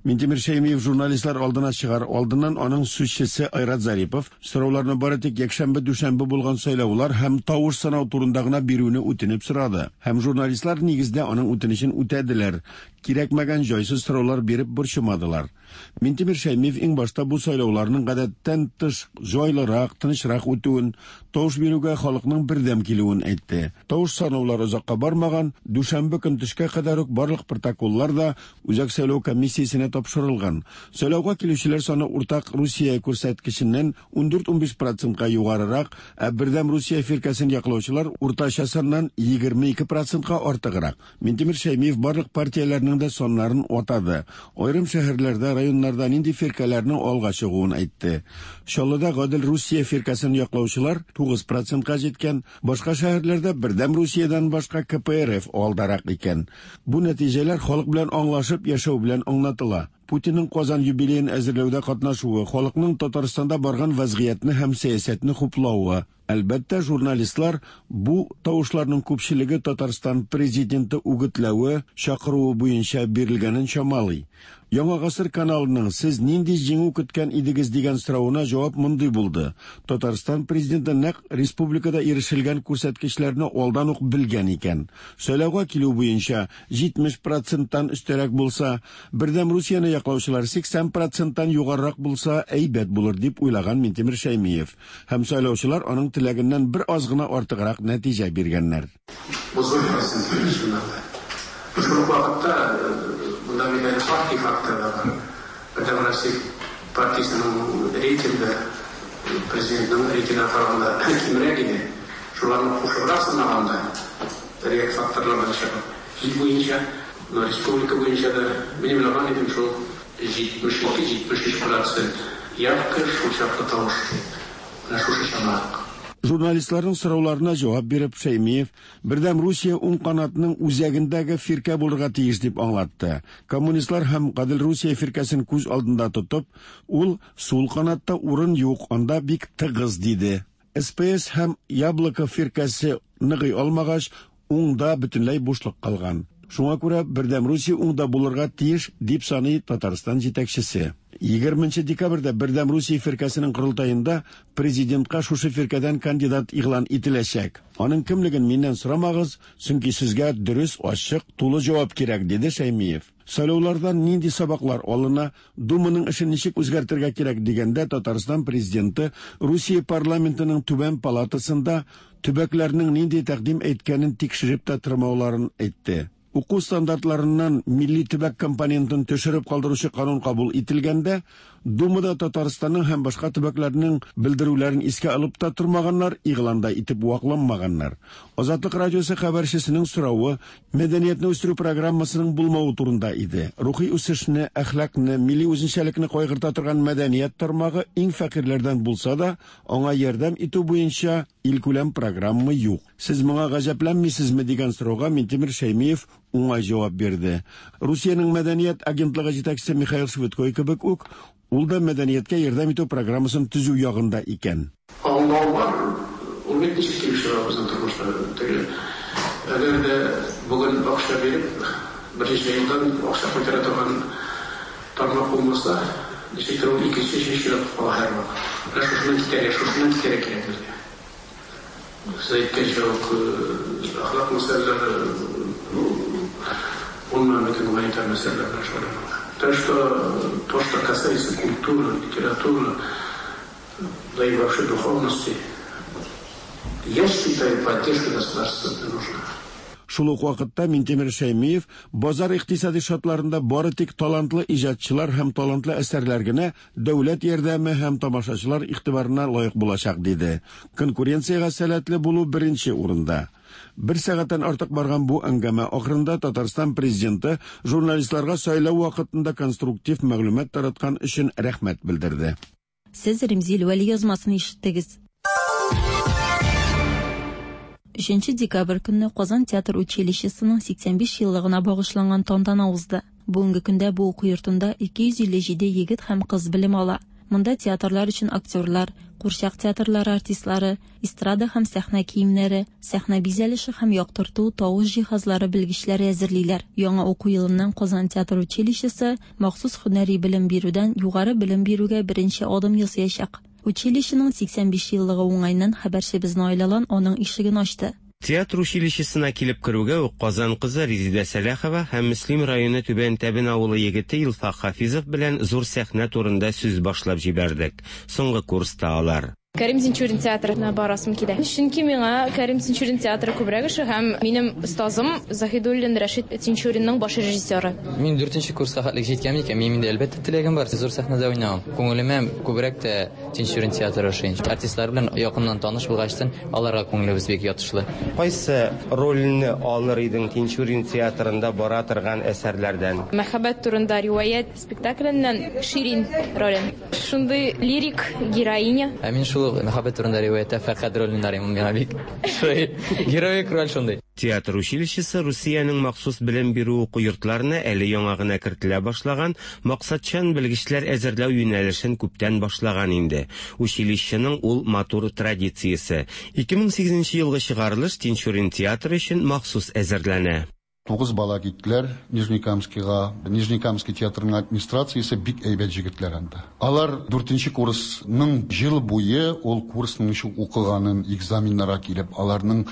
Минтимер Шәймиев журналистлар алдына чыгар алдыннан аның сүзчесе Айрат Зарипов сорауларны бары тик якшәмбе-дүшәмбе булган сайлаулар һәм тавыш санау турында гына бирүне үтенеп сорады. Һәм журналистлар нигездә аның үтенечен үтәделәр. Кирәкмәгән җайсыз сораулар биреп борчымадылар. Минтимер Шәймиев иң башта бу сайлауларның гадәттән тыш җайлырак, тынычрак үтүен, тавыш бирүгә халыкның бердәм килүен әйтте. Тавыш санаулар озакка бармаган, дүшәмбе көн төшкә кадәр үк барлык протоколлар да Үзәк сайлау комиссиясенә тапшырылган. Сайлауга килүчеләр саны уртак Русия күрсәткеченнән 14-15 процентка югарырак, ә Бердәм Русия фиркәсен яклаучылар уртача саннан 22 процентка артыграк. Минтимер Шәймиев барлык партияләрнең дә саннарын атады. Аерым шәһәрләрдә, районнарда нинди фиркәләрнең алга чыгуын әйтте. Чаллыда Гадел Русия фиркәсен яклаучылар 9 процентка җиткән, башка шәһәрләрдә Бердәм Русиядән башка КПРФ алдарак икән. Бу нәтиҗәләр халык белән аңлашып яшәү белән аңлатыла. Путинның Казан юбилеен әзерләүдә катнашуы, халыкның Татарстанда барган вәзгыятьне һәм сәясәтне хуплавы. Әлбәттә, журналистлар бу тавышларның күпчелеге Татарстан Президенты үгетләве, чакыруы буенча бирелгәнен чамалый. Яңа гасыр каналының Сез нинди җиңү көткән идегез дигән соравына җавап мондый булды, Татарстан Президенты нәкъ республикада ирешелгән күрсәткечләрне алдан ук белгән икән. Сайлауга килү буенча 70 проценттан өстәрәк булса, Бердәм Русияне яклаучылар 80 проценттан югарырак булса, әйбәт булыр, дип уйлаган Минтимер Шәймиев. Һәм сайлаучылар аның теләгеннән бер аз гына артыграк нәтиҗә биргәннәр. 31 процент чыннан да. Шул ук вакытта монда бит әле партия факторы да бар. Бердәм Россия партиясенең рейтингы президентның рейтингына караганда кимрәк иде. Шуларны кушыбрак санаганда, реаль факторлардан чыгып, ил буенча, республика буенча да, мин уйлаган идем, шул 72-73 процент явка, шул чаклы тавыш дип. Менә шушы чама. Журналистларның сорауларына җавап биреп, Шәймиев, Бердәм Русия уң канатның үзәгендәге фиркә булырга тиеш дип аңлатты. Коммунистлар һәм Гадел Русия фиркәсен күз алдында тотып, ул сул канатта урын юк, анда бик тыгыз диде. СПС һәм Яблоко фиркәсе ныгый алмагач, уңда бөтенләй бушлык калган. Шуңа күрә Бердәм Русия уңда булырга тиеш, дип саный Татарстан җитәкчесе. 20 декабрьдә Бердәм Русия фиркәсенең корылтаенда президентка шушы фиркәдән кандидат игълан ителәчәк. Аның кемлеген миннән сорамагыз, чөнки сезгә дөрес, ачык, тулы җавап кирәк, диде Шәймиев. Сайлаулардан нинди сабаклар алына, Думаның эшен ничек үзгәртергә кирәк дигәндә Татарстан президенты Русия парламентының түбән палатасында төбәкләрнең нинди тәкъдим әйткәнен тикшереп тә тормауларын әйтте. Уку стандартларыннан милли төбәк компонентын төшереп калдыручы канун кабул ителгәндә, Думада Татарстанның һәм башка төбәкләрнең белдерүләрен искә алып та тормаганнар, игълан да итеп вакланмаганнар. Азатлык радиосы хәбәрчесенең соравы мәдәниятне үстерү программасының булмавы турында иде. Рухи үсешне, әхлакны, милли үзенчәлекне кайгырта торган мәдәният тармагы иң фәкыйрьләрдән булса да, аңа ярдәм итү буенча илкүләм программа юк. Сез моңа гаҗәпләнмисезме дигән сорауга Минтимер Шәймиев уңай җавап бирде. Русиянең мәдәният агентлыгы җитәкчесе Михаил Швыдкой кебек үк, ул да мәдәнияткә ярдәм итү программасын төзү ягында икән. Аңлау бар, ул Ул бит ничек килеп чыга безнең тормышта? Теге әгәр дә бүген акча биреп, берничә елдан акча кайтара торган тармак булмаса, ничектер ул икенче, өченче чиратка кала һәрвакыт. Менә шушыннан китәргә, шушыннан китәргә кирәк безгә. Сез әйткәнчә үк, әхлак мәсьәләләре, ну, гомумән, бөтен гуманитар мәсьәләләр белән шөгыльләнү. Так что то, что касается культуры, литературы, да и вообще духовности, я считаю, поддержка государства нужна. Шул ук вакытта Минтимер Шәймиев базар икътисади шартларында бары тик талантлы иҗатчылар һәм талантлы әсәрләр генә дәүләт ярдәме һәм тамашачылар игътибарына лаек булачак, диде. Конкуренциягә сәләтле булу беренче урында. Бер сәгатьтән артык барган бу әңгәмә ахырында Татарстан Президенты журналистларга сайлау вакытында конструктив мәгълүмат тараткан өчен рәхмәт белдерде. Сез Римзил Вәли язмасын ишеттегез. Өченче декабрь көнне Казан театр училищесының 85 еллыгына багышланган тантана узды. Бүгенге көндә бу уку йортында 257 егет һәм кыз белем ала. Монда театрлар өчен актерлар, курчак театрлары артистлары, эстрада һәм сәхнә киемнәре, сәхнә бизәлеше һәм яктырту, тавыш җиһазлары белгечләре әзерлиләр. Яңа уку елыннан Казан театр училищесы махсус һөнәри белем бирүдән югары белем бирүгә беренче адым ясаячак. Училищеның 85 еллыгы уңаеннан хәбәрчебез Наил Алан аның ишеген ачты. Театр училищесына килеп керүгә үк Казан кызы Резидә Сәләхова һәм Мөслим районы Түбән Тәбен авылы егете Илфак Хафизов белән зур сәхнә турында сүз башлап җибәрдек. Соңгы курста алар. Кәрим Тинчурин театрына барасым килә. Чөнки миңа Кәрим Тинчурин театры күбрәк ошый һәм минем остазым Заһидуллин Рәшит Тинчуринның баш режиссеры. Мин дүртенче курска хәтлек җиткән икән, минем инде әлбәттә теләгем бар зур сәхнәдә уйнау. Күңелемә күбрәк тә Тинчурин театры ошый. Артистлар белән якыннан таныш булгачтын, аларга күңелебез бик ятышлы. Кайсы рольне алыр идең Тинчурин театрында бара торган әсәрләрдән? Мәхәббәт турында риваять спектакленнән Ширин ролен. Шундый лирик героиня. Ә мин шул ук Мәхәббәт турында риваятьтә Фәрхәд ролен уйнар идем, ул миңа бик ошый. Героик роль шундый. Театр училищесы Русиянең махсус белем бирү уку йортларына әле яңа гына кертелә башлаган максатчан белгечләр әзерләү юнәлешен күптән башлаган инде. Училищеның ул матур традициясе. 2008 нче елгы чыгарылыш Тинчурин театры өчен махсус әзерләнә. Тугыз бала киттеләр Нижнекамскига. Нижнекамский театрының администрациясе бик әйбәт җегетләр анда. Алар дүртенче курсның җыл буе ул курсның ничек укыганын, экзаменнарга килеп, аларның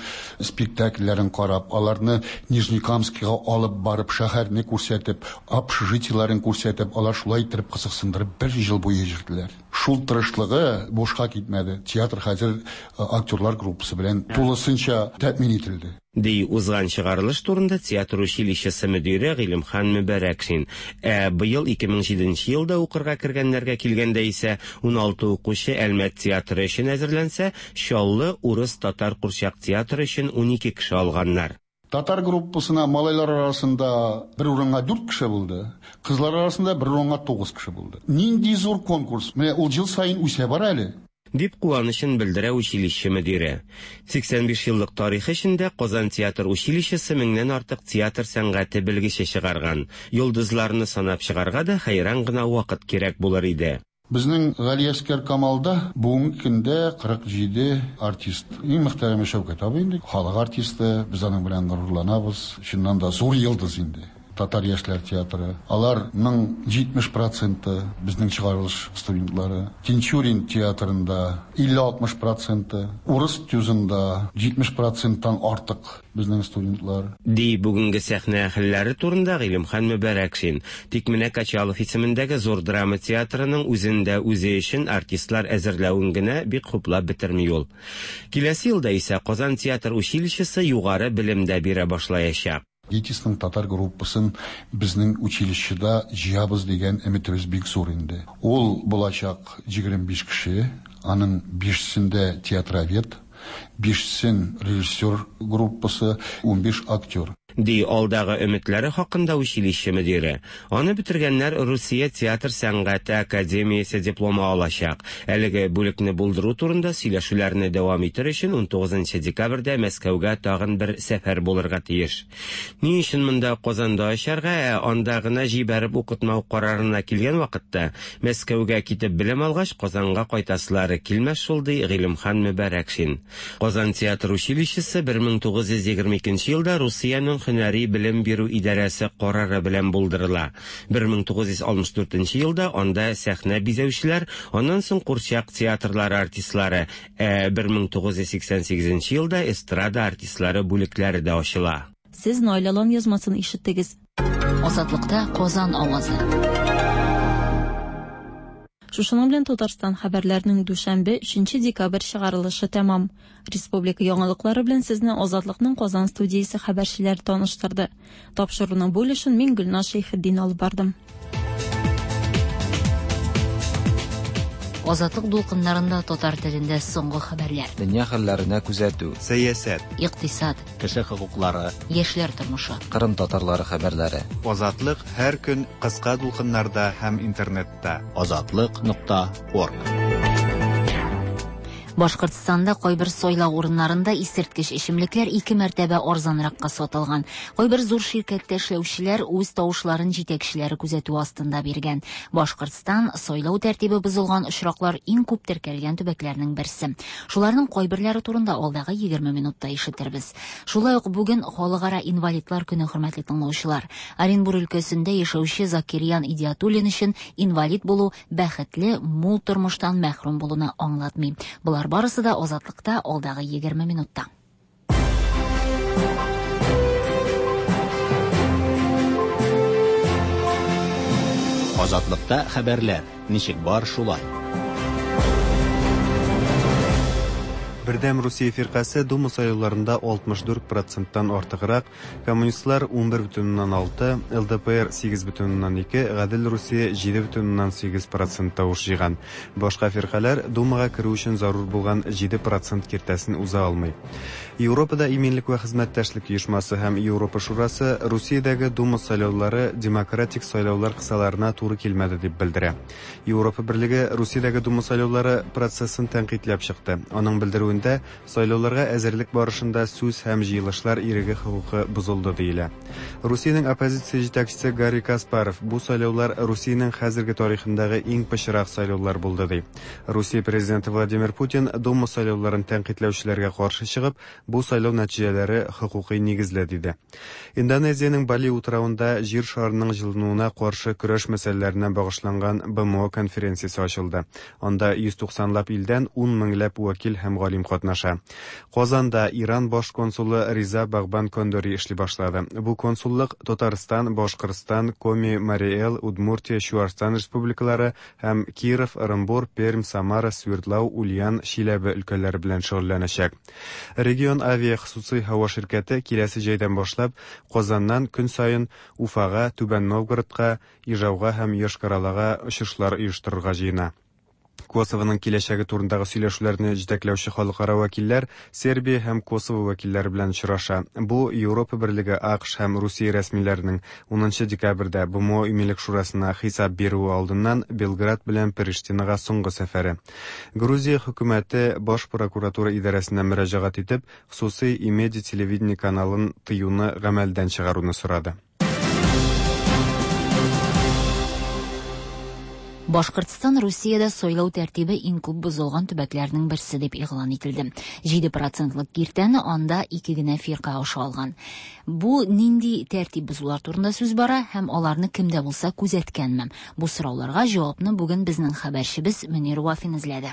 спектакльләрен карап, аларны Нижнекамскига алып барып, шәһәрне күрсәтеп, общежитиеләрен күрсәтеп, алар шулай иттереп кызыксындырып бер җыл буе йөрделәр. Шул тырышлыгы бушка китмәде, театр хәзер актерлар группасы белән тулысынча тәэмин ителде. Ди узган чыгарылыш турында театр училищесы мөдире Гыйлемхан Мөбарәкшин. Ә быел 2007 нче елда укырга кергәннәргә килгәндә исә, уналты укучы Әлмәт театры өчен әзерләнсә, Чаллы урыс-татар курчак театры өчен 12 кеше алганнар. Татар группасына малайлар арасында бер урынга дүрт кеше булды, кызлар арасында бер урынга тугыз кеше булды. Нинди зур конкурс! Менә ул ел саен үсә бара әле. Дип куанычын белдерә училище мөдире. 85 еллык тарихы эчендә Казан театр училищесы меңнән артык театр сәнгате белгече чыгарган. Йолдызларны санап чыгарга да хәйран гына вакыт кирәк булыр иде. Безнең Галиәскәр Камалда бүгенге көндә 47 артист. Иң мөхтәрәме Шәүкәт абый инде, халык артисты, без аның белән горурланабыз. Чыннан да зур йолдыз инде. Татар яшьләр театры. Аларның 70 проценты безнең чыгарылыш студентлары. Тинчурин театрында 50-60 проценты, урыс ТЮЗында 70 проценттан артык безнең студентлар. Ди бүгенге сәхнә әһелләре турында Гыйлемхан Мөбарәкшин. Тик менә Качалов исемендәге Зур драма театрының үзен дә үзе өчен артистлар әзерләвен генә бик хуплап бетерми ул. Киләсе елда исә Казан театр училищесы югары белем дә бирә башлаячак. ГИТИСның татар группасын безнең училищеда җыябыз дигән өметебез бик зур инде. Ул булачак 25 кеше, аның бишесендә театровед, бишесен режиссер группасы, 15 актер. Ди алдагы өметләре хакында училище мөдире. Аны бетергәннәр Русия театр сәнгате академиясе дипломы алачак. Әлеге бүлекне булдыру турында сөйләшүләрне дәвам итер өчен 19 декабрьдә Мәскәүгә тагын бер сәфәр булырга тиеш. Ни өчен монда Казанда ачарга, ә анда гына җибәреп укытмау карарына килгән вакытта, Мәскәүгә китеп белем алгач, Казанга кайтасылары килмәс шул, ди Гыйлемхан Мөбарәкшин. Казан театр училищесы 1922 елда Русиянең һөнәри белем бирү идарәсе карары белән булдырыла. 1964 елда анда сәхнә бизәүчеләр, аннан соң курчак театрлары артистлары, ә 1988 елда эстрада артистлары бүлекләре дә ачыла. Сез Наилә Лан язмасын ишеттегез. Азатлыкта Казан авазы. Шушының белән Татарстан хәбәрләренең дүшәмбе, 3 декабрь чыгарылышы тәмам. Республика яңалыклары белән сезне Азатлыкның Казан студиясе хәбәрчеләре таныштырды. Тапшыруның бу өлешен мин Гөлназ Шәйхетдин алып бардым. Азатлык дулкыннарында татар телендә соңгы хәбәрләр. Дөнья хәлләренә күзәтү. Сәясәт. Икътисад. Кеше хокуклары. Яшьләр тормышы. Кырым татарлары хәбәрләре. Азатлык һәр көн кыска дулкыннарда һәм интернетта. Азатлык.орг. Башкортстанда кайбер сайлау урыннарында исерткеч эчемлекләр ике мәртәбә арзанракка сатылган. Кайбер зур ширкәттә эшләүчеләр үз тавышларын җитәкчеләре күзәтү астында биргән. Башкортстан сайлау тәртибе бозылган очраклар иң күп теркәлгән төбәкләрнең берсе. Шуларның кайберләре турында алдагы 20 минутта ишетербез. Шулай ук бүген Халыкара инвалидлар көне, хөрмәтле тыңлаучылар. Оренбур өлкәсендә яшәүче Закирьян Идиатуллин өчен инвалид булу бәхетле, мул тормыштан мәхрүм булуны аңлатмый. Болар барысы да Азатлыкта алдагы 20 минутта. Азатлыкта хәбәрләр ничек бар шулай. Бердәм Русия фиркасе Дума сайлауларында 64%-тан артыграк, коммунистлар 11,6, ЛДПР 8,2, Гадел Русия 7,8% тавыш җыйган. Башка фиркаләр Думага керү өчен зарур булган 7% киртәсен уза алмый. Европада иминлек вә хезмәттәшлек оешмасы һәм Европа шурасы Русиядәге Дума сайлаулары демократик сайлаулар кысаларына туры килмәде дип белдерә. Европа берлеге Русиядәге Дума сайлаулары процессын тәнкыйтьләп чыкты. Аның белдерүендә сайлауларга әзерлек барышында сүз һәм җыелышлар иреге хокукы бозылды диелә. Русиянең оппозиция җитәкчесе Гарри Каспаров бу сайлаулар Русиянең хәзерге тарихындагы иң пычрак сайлаулар булды ди. Русия президенты Владимир Путин Дума сайлауларын тәнкыйтьләүчеләргә каршы чыгып, бу сайлау нәтиҗәләре хокукый нигезле диде. Индонезиянең Бали утравында җир шарының җылынуына каршы көрәш мәсьәләләренә багышланган БМО конференциясе ачылды. Анда 190лап илдән 10 меңләп вәкил һәм галим катнаша. Казанда Иран баш консулы Риза Багбан Кондори эшли башлады. Бу консуллык Татарстан, Башкортстан, Коми, Марий Эл, Удмуртия, Чуашстан республикалары һәм Киров, Ырынбур, Пермь, Самара, Свердлау, Ульян, Чиләбе өлкәләре белән шөгыльләнәчәк. Регион авиа хосусый һава ширкәте киләсе җәйдән башлап Казаннан көн саен Уфага, Түбән Новгородка, Ижауга һәм Йошкар-Олага очышлар оештырырга җыена. Косовоның киләчәге турындагы сөйләшүләрне җитәкләүче халыкара вәкилләр Сербия һәм Косово вәкилләре белән очраша. Бу Европа берлеге, АКШ һәм Русия рәсмиләренең 10 декабрьдә БМО Иминлек шурасына хисап бирүе алдыннан Белград белән Приштинага соңгы сәфәре. Грузия хөкүмәте баш прокуратура идарәсенә мөрәҗәгать итеп, хосусый Имеди телевидение каналын тыюны гамәлдән чыгаруны сорады. Башкортстан Русиядә сайлау тәртибе иң күп бозылган төбәкләрнең берсе дип игълан ителде. 7%лык киртәне анда ике генә фирка аша алган. Бу нинди тәртип бозулар турында сүз бара һәм аларны кем дә булса күзәткәнме? Бу сорауларга җавапны бүген безнең хәбәрчебез Мөнир Вафин эзләде.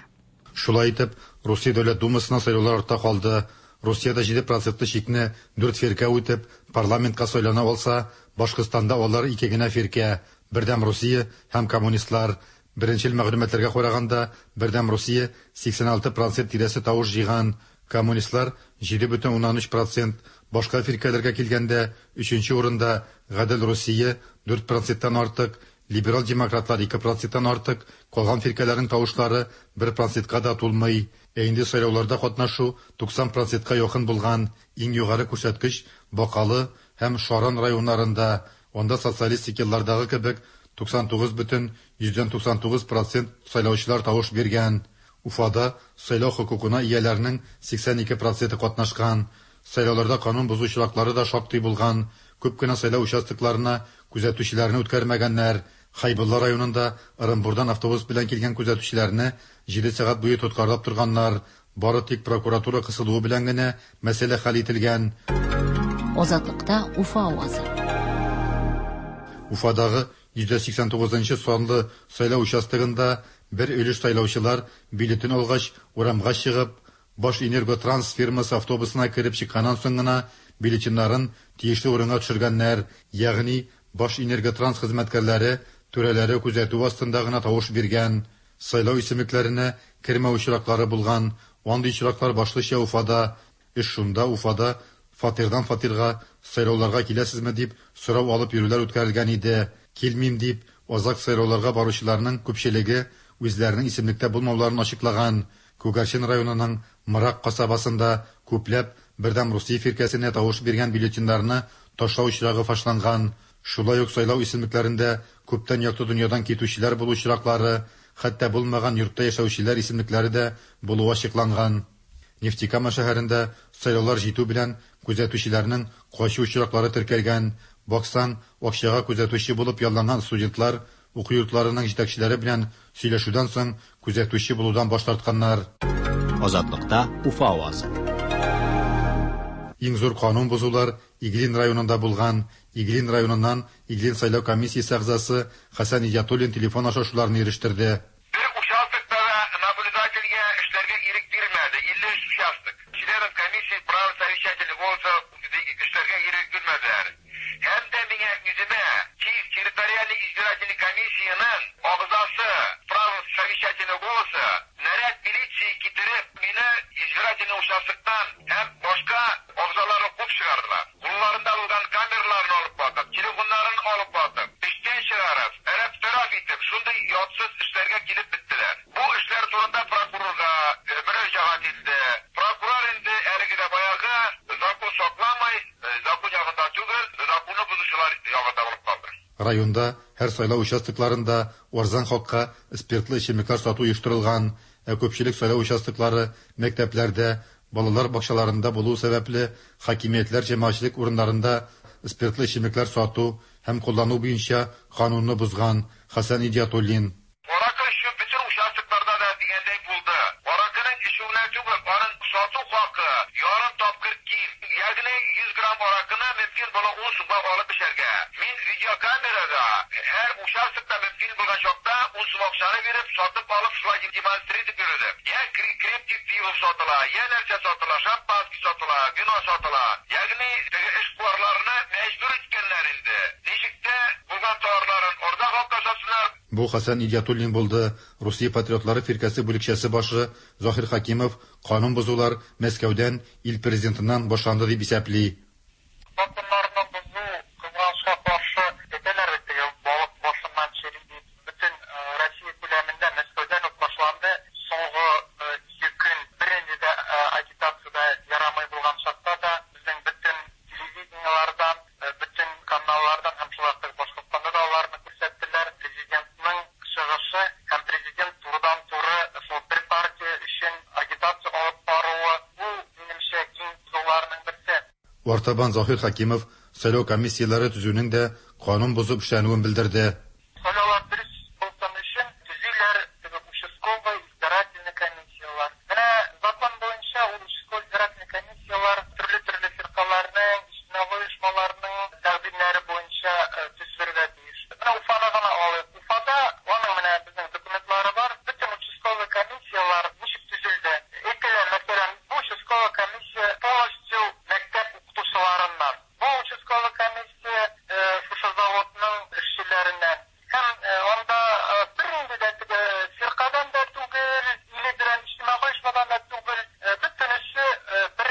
Шулай итеп, Русия Дәүләт Думасына сайлаулар артта калды. Русиядә 7%лы чикне 4 фирка үтеп, парламентка сайлана алса, Башкортстанда алар ике генә фирка, Бердәм Русия һәм коммунистлар. Беренчел мәгълүматларга караганда, Бердәм Русия 86% тирәсе тавыш җыйган, коммунистлар 7,3%, башка фиркәләргә килгәндә, өченче урында Гадел Русия 4%тан артык, либерал демократлар 2%тан артык, калган фиркәләрнең тавышлары 1%ка да тулмый. Ә инде сайлауларда катнашу 90%ка якын булган. Иң югары күрсәткеч Бакалы, һәм Шаран районнарында, анда социалистик еллардагы кебек 99,99 процент сайлаучылар тавыш биргән. Уфада сайлау хокукына ияләрнең 82 проценты катнашкан. Сайлауларда канун бозу очраклары да шактый булган. Күп кенә сайлау участокларына күзәтүчеләрне үткәрмәгәннәр. Хәйбулла районында Ырынбурдан автобус белән килгән күзәтүчеләрне 7 сәгать буе тоткарлап торганнар. Бары тик прокуратура кысылуы белән генә мәсьәлә хәл ителгән. Азатлыкта Уфа авазы. Уфадагы 189 санлы сайлау участогында бер өлеш сайлаучылар бюллетень алгач, урамга чыгып, Башэнерготранс фирмасы автобусына кереп чыкканнан соң гына бюллетеньнарын тиешле урынга төшергәннәр, ягъни Башэнерготранс хезмәткәрләре түрәләре күзәтүе астында гына тавыш биргән. Сайлау исемлекләренә кермәү очраклары булган. Андый очраклар башлыча Уфада. Эш шунда, Уфада фатирдан фатирга сайлауларга киләсезме дип сорау алып йөрүләр үткәрелгән иде. Килмим дип, азак сайлауларга баручыларның күпчелеге үзләренең исемлектә булмауларын ачыклаган. Күгәрчен районының Мырак касабасында күпләп Бердәм Русия фиркәсенә тавыш биргән бюллетеньнарны ташлау очрагы фашланган. Шулай ук сайлау исемлекләрендә күптән якты дөньядан китүчеләр булу очраклары, хәтта булмаган йортта яшәүчеләр исемлекләре дә булуы ачыкланган. Нефтекама шәһәрендә сайлаулар җитү белән күзәтүчеләрнең качу очраклары теркәлгән. Баксаң, акчага күзәтүче булып ялланган студентлар уку йортларының җитәкчеләре белән сөйләшүдән соң күзәтүче булудан баш тартканнар. Азатлыкта Уфа авазы. Иң зур канун бозулар Иглин районында булган. Иглин районыннан Иглин сайлау комиссиясе әгъзасы Хәсән Идиатуллин телефон аша шуларны ирештерде. Бер участокта да наблюдательгә эшләргә ирек бирмәде, 53 участок. Членам комиссии право совещательный голоса эшләргә ирек бирмәделәр. Һәм дә миңа үземә Киев территориальный избирательный комиссиянең агъзасы право совещательного голоса наряд милиции китереп, мине избирательный участоктан һәм башка агъзаларны куып чыгардылар. Кулларында булган камераларны алып батып, телефоннарын алып батып, эштән чыгарып, әрәп-тәраф итеп, шундый ятсыз эшләргә килеп беттеләр. Бу эшләр турында прокурорга мөрәҗәгать итте. Прокурор инде әлеге дә баягы закон сакламый, закон ягында түгел, законны бозучылар ягында булып калды. Районда һәр сайлау участокларында арзан хакка спиртлы эчемлекләр сату оештырылган, ә күпчелек сайлау участоклары мәктәпләрдә, балалар бакчаларында булу сәбәпле, хакимиятләр җәмәгатьчелек урыннарында спиртлы эчемлекләр сату һәм куллану буенча канунны бозган. Хәсән Идиатуллин. Аракы эчү бөтен участокларда да дигәндәй булды. Аракының эчүенә түгел, аның сату хакы ярым тапкыр ким. Ягъни 100 грамм аракыны мөмкин була 10 сумга алып эчәргә. Мин видеокамерада һәр участокта мөмкин булган чакта 10 сум акчаны биреп, сатып алып шулай демонстрировать итеп йөрдем. Я крепкий пиво сатыла, я нәрсә сатыла, шампанский сатыла, вино сатыла. Ягъни теге эшкуарларны мәҗбүр иткәннәр инде. Ничек тә булган товарларын арзан хакка сатсыннар. Бу Хәсән Идиатуллин булды. Русия патриотлары фиркәсе бүлекчәсе башы Заһир Хәкимов канун бозулар Мәскәүдән, ил президентыннан башланды дип исәпли. Законнарны бозу, кызганычка каршы, әйтәләр бит теге балык башыннан чери дип, бөтен Россия күләмендә Мәскәүдән үк башланды. Соңгы ике көн бернинди дә агитация дә ярамый булган чакта да безнең бөтен телевидениелардан, бөтен каналлардан һәм шулай ук Башкортстанда да аларны күрсәттеләр. Президентның чыгышы һәм президент турыдан-туры шул бер партия өчен агитация алып баруы, бу, минемчә, иң зурларының берсе. Артабан Заһир Хәкимов сайлау комиссияләре төзүнең дә канун бозып эшләнүен белдерде. Сайлаулар дөрес булсын өчен төзиләр теге участковый избирательный комиссияләр. Менә закон буенча ул участковый избирательный комиссияләр төрле-төрле фиркаларның, иҗтимагый оешмаларның тәкъдимнәре буенча төзелергә тиеш. Менә Уфаны гына алыйк. Уфада аның менә безнең документлары бар. Бөтен участковый комиссияләр ничек төзелде? Әйтәләр, мәсәлән, бу участковый комиссия полностью мәктәп укытучыларыннан. Бу участковый комиссия шушы заводның эшчеләреннән. Һәм анда бернинди дә теге фиркадан да түгел, или берәр иҗтимагый оешмадан да түгел, бөтенесе бер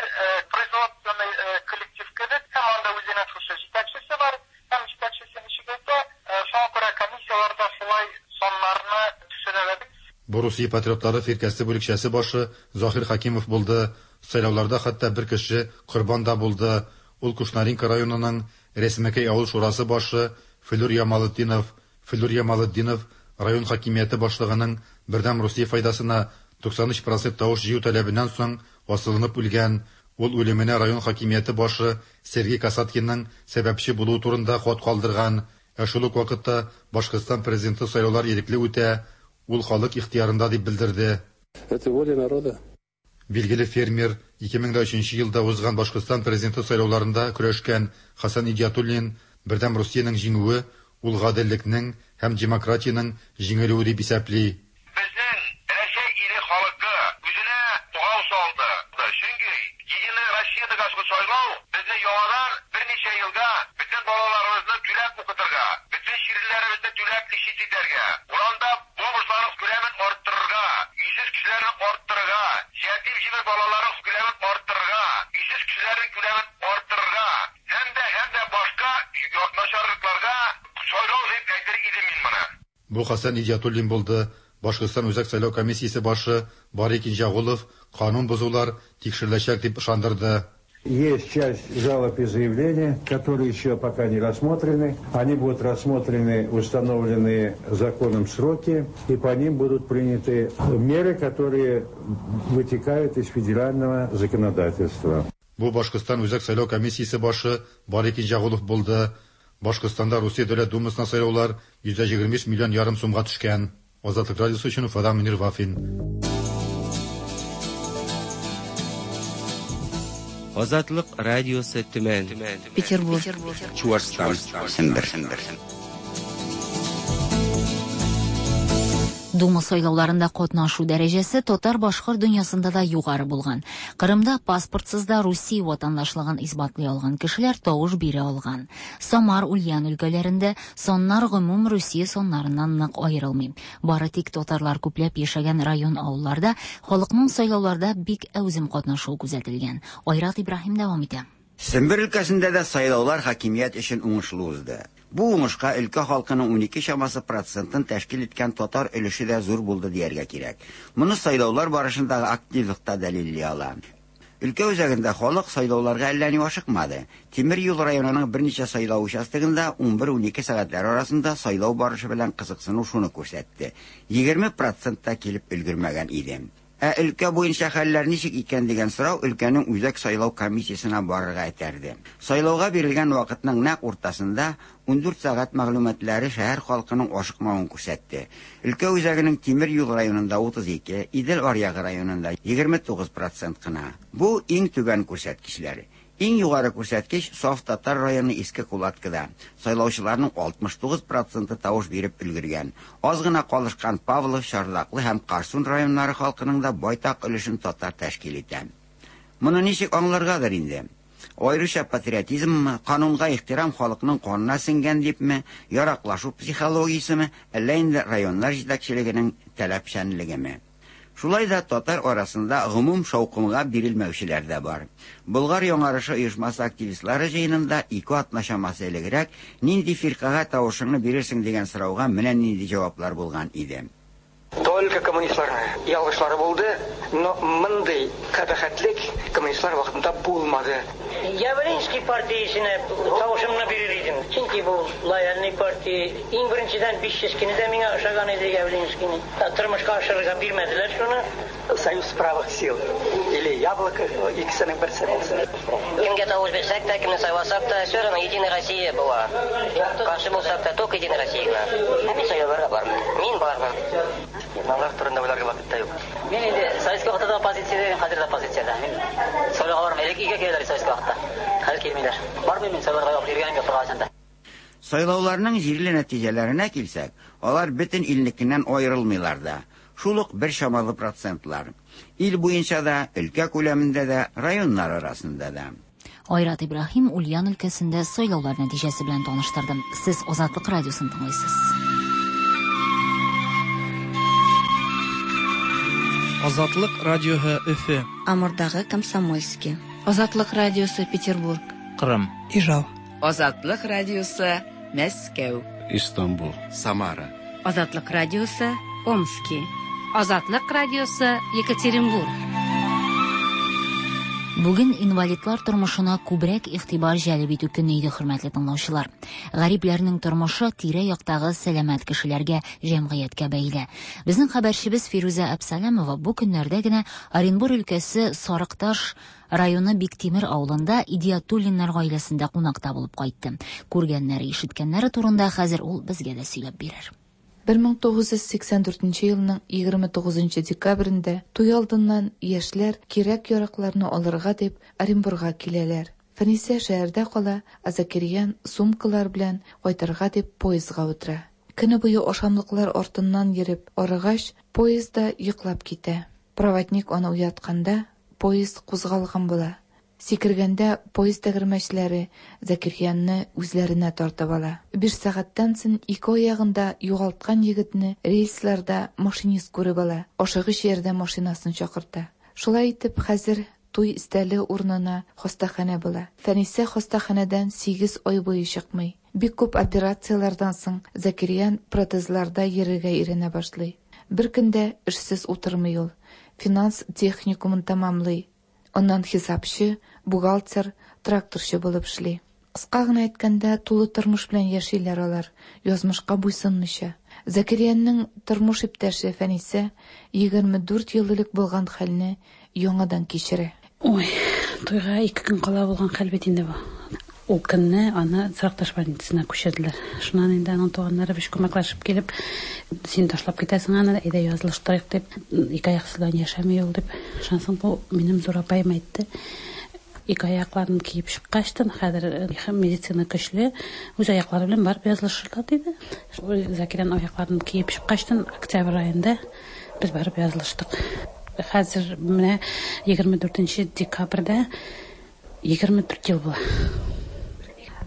производственный коллектив кебек, һәм анда үзенең шушы җитәкчесе бар, һәм җитәкчесе ничек әйтә, шуңа күрә комиссияләрдә шулай саннарны төшерәләр. Бу Русия патриотлары фиркәсе бүлекчәсе башы Заһир Хәкимов булды. Сайлауларда хәтта бер кеше корбан да булды. Ул Кушнаренко районының Рәсмәкәй авыл шурасы башы Флүр Ямалетдинов. Флүр Ямалетдинов район хакимияте башлыгының Бердәм Русия файдасына 93 процент тавыш җыю таләбеннән соң асылынып үлгән. Ул үлеменә район хакимияте башы Сергей Касаткинның сәбәпче булуы турында хат калдырган. Ә шул ук вакытта Башкортстан президенты сайлаулар ирекле үтә, ул халык ихтыярында дип белдерде. Это воля народа. Билгеле фермер, 2003 елда узган Башкортстан президенты сайлауларында көрәшкән Хәсән Идиатуллин Бердәм Русиянең җиңүе ул гаделлекнең һәм демократиянең җиңелүе дип исәпли. Безнең Рәсәй иле халкы үзенә богау салды. Чөнки Единая Россиядагы сайлау безне яңадан берничә елга бөтен балаларыбызны түләп укытырга, бөтен чирлеләребезне түләп лечить итәргә, урамда бомжларның күләмен арттырырга, өйсез кешеләрне арттырырга, ятим җибер балаларның күләмен арттырырга, өйсез кешеләрнең күләмен арттырырга һәм дә һәм дә башка начарлыкларга сайлау дип әйтер идем мин моны. Бу Хәсән Идиатуллин булды. Башкортстан Үзәк сайлау комиссиясе башы Бари Кинҗәгулов канун бозулар тикшереләчәк дип ышандырды. Есть часть жалоб и заявлений, которые еще пока не рассмотрены. Они будут рассмотрены в установленные законом сроки, и по ним будут приняты меры, которые вытекают из федерального законодательства. Бу Башкортстан Үзәк сайлау комиссиясе башы Бари Кинҗәгулов булды. Башкортстанда Русия Дәүләт Думасына сайлаулар 125 миллион ярым сумга төшкән. Азатлык радиосы өчен Уфадан Мөнир Вафин. Азатлык радиосы Төмән. Петербург. Чуашстан. Сембер. Дума сайлауларында катнашу дәрәҗәсе татар-башкорт дөньясында да югары булган. Кырымда паспортсыз да Русия ватандашлыгын исбатлый алган кешеләр тавыш бирә алган. Самар, Ульян өлкәләрендә саннар гомум Русия саннарыннан нык аерылмый. Бары тик татарлар күпләп яшәгән район-авылларда халыкның сайлауларда бик әүзем катнашуы күзәтелгән. Айрат Ибраһим дәвам итә. Сембер өлкәсендә дә сайлаулар хакимият өчен уңышлы узды. Бу уңышка өлкә халкының 12 чамасы процентын тәшкил иткән татар өлеше дә зур булды дияргә кирәк. Моны сайлаулар барышындагы активлык та дәлилли ала. Өлкә үзәгендә халык сайлауларга әллә ни ашыкмады. Тимер юл районының берничә сайлау участогында 11-12 сәгатьләр арасында сайлау барышы белән кызыксыну шуны күрсәтте. 20% та килеп өлгермәгән иде. Ә өлкә буенча хәлләр ничек икән дигән сорау өлкәнең үзәк сайлау комиссиясенә барырга этәрде. Сайлауга бирелгән вакытның нәкъ уртасында 14 сәгать мәгълүматлары шәһәр халкының ашыкмавын күрсәтте. Өлкә үзәгенең Тимер юл районында 32, Идел аръягы районында 29% кына. Бу иң түбән күрсәткечләр. Иң югары күрсәткеч Саф Татар районы Иске Кулаткыда. Сайлаучыларның 69% тавыш биреп өлгергән. Аз гына калышкан Павлов, Чардаклы һәм Карсун районнары халкының да байтак өлешен татар тәшкил итә. Моны ничек аңларгадыр инде? Аеруча патриотизммы, канунга ихтирам халыкның канына сеңгән дипме, яраклашу психологиясеме, әллә инде районнар җитәкчелегенең таләпчәнлегеме? Шулай да татар арасында гомум шаукымга бирелмәүчеләр дә бар. Болгар яңарышы оешмасы активистлары җыенында ике атна чамасы элегрәк нинди фиркага тавышыңны бирерсең дигән сорауга менә нинди җаваплар булган иде. Только коммунистларның ялгышлары булды, но мондый кабахәтлек коммунистлар вакытында булмады. Явлинский партиясенә тавышымны бирер идем. Чөнки бу лояльный партия. Иң беренчедән 500 кенә дә миңа ошаган иде Явлинскийны. Тормышка ашырырга бирмәделәр шуны. Союз правых сил или Яблоко икесенең берсе булсын. Кемгә тавыш бирсәк тә, кемне сайласак та, все равно Единая Россия була. Каршы булсак та, только Единая Россия гына. Ә мин сайлауларга бармын. Мин бармын. Алар турында уйларга вакыт та юк. Мин инде советский вакытта да оппозициядә, хәзер дә оппозициядә. Мин сайлауга бармыйм. Элек өйгә киләләр советский вакытта. Хәзер килмиләр. Бармыйм мин сайлауларга, йөргәнем юк беркайчан да. Сайлауларның җирле нәтиҗәләренә килсәк, алар бөтен илнекеннән аерылмыйлар да. Шул ук бер чамалы процентлар. Ил буенча да, өлкә күләмендә дә, районнар арасында да. Айрат Ибраһим Ульян өлкәсендә сайлаулар нәтиҗәсе белән таныштырды. Сез Азатлык радиосын тыңлыйсыз. Азатлык радиоһы Өфе. Амурдагы Комсомольский. Азатлык радиосы Петербург. Кырым. Ижау. Азатлык радиосы Мәскәү. Истанбул. Самара. Азатлык радиосы Омски. Азатлык радиосы Екатеринбург. Бүген инвалидлар тормышына күбрәк игътибар җәлеп итү көне иде, хөрмәтле тыңлаучылар. Гарипләрнең тормышы тирә-яктагы сәламәт кешеләргә, җәмгыятькә бәйле. Безнең хәбәрчебез Фирүзә Әбсәләмова бу көннәрдә генә Оренбур өлкәсе Сарыкташ районы Биктимер авылында Идиатуллиннар гаиләсендә кунакта булып кайтты. Күргәннәре, ишеткәннәре турында хәзер ул безгә дә сөйләп бирер. 1984 елның 29 декабрендә туй алдыннан яшьләр кирәк-яракларны алырга дип Оренбурга киләләр. Фәнисә шәһәрдә кала, ә Закирьян сумкалар белән кайтырга дип поездга утыра. Көне буе ашамлыклар артыннан йөреп арыгач, поездда йоклап китә. Проводник аны уятканда, поезд кузгалган була. Сикергәндә поезд тәгәрмәчләре Закирьянны үзләренә тартып ала. Биш сәгатьтән соң ике аягын да югалткан егетне рельсларда машинист күреп ала, ашыгыч ярдәм машинасын чакырта. Шулай итеп, хәзер туй өстәле урынына хастаханә була. Фәнисә хастаханәдән сигез ай буе чыкмый. Бик күп операцияләрдән соң Закирьян протезларда йөрергә өйрәнә башлый. Бер көн дә эшсез утырмый ул. Финанс техникумын тәмамлый. Аннан хисапчы, бухгалтер, тракторчы булып эшли. Кыска гына әйткәндә, тулы тормыш белән яшиләр алар, язмышка буйсынмыйча. Закирьянның тормыш иптәше Фәнисә 24 ел элек булган хәлне яңадан кичерә. Ой, туйга ике көн кала булган хәл бит инде бу. Ул көнне аны Сарыкташ больницасына күчерделәр. Шуннан инде аның туганнары биш күмәкләшеп килеп, син ташлап китәсең аны, әйдә язылыштырыйк дип, ике аяксыздан яшәми ул дип. Шуннан соң бу минем зур апаем әйтте. Ике аякларын киеп чыккачтын, хәзер медицина көчле, үз аяклары белән барып язылышырлар диде. Закирән аякларын киеп чыккачтын, октябрь аенда без барып язылыштык. Хәзер менә 24 декабрьдә 24 ел була.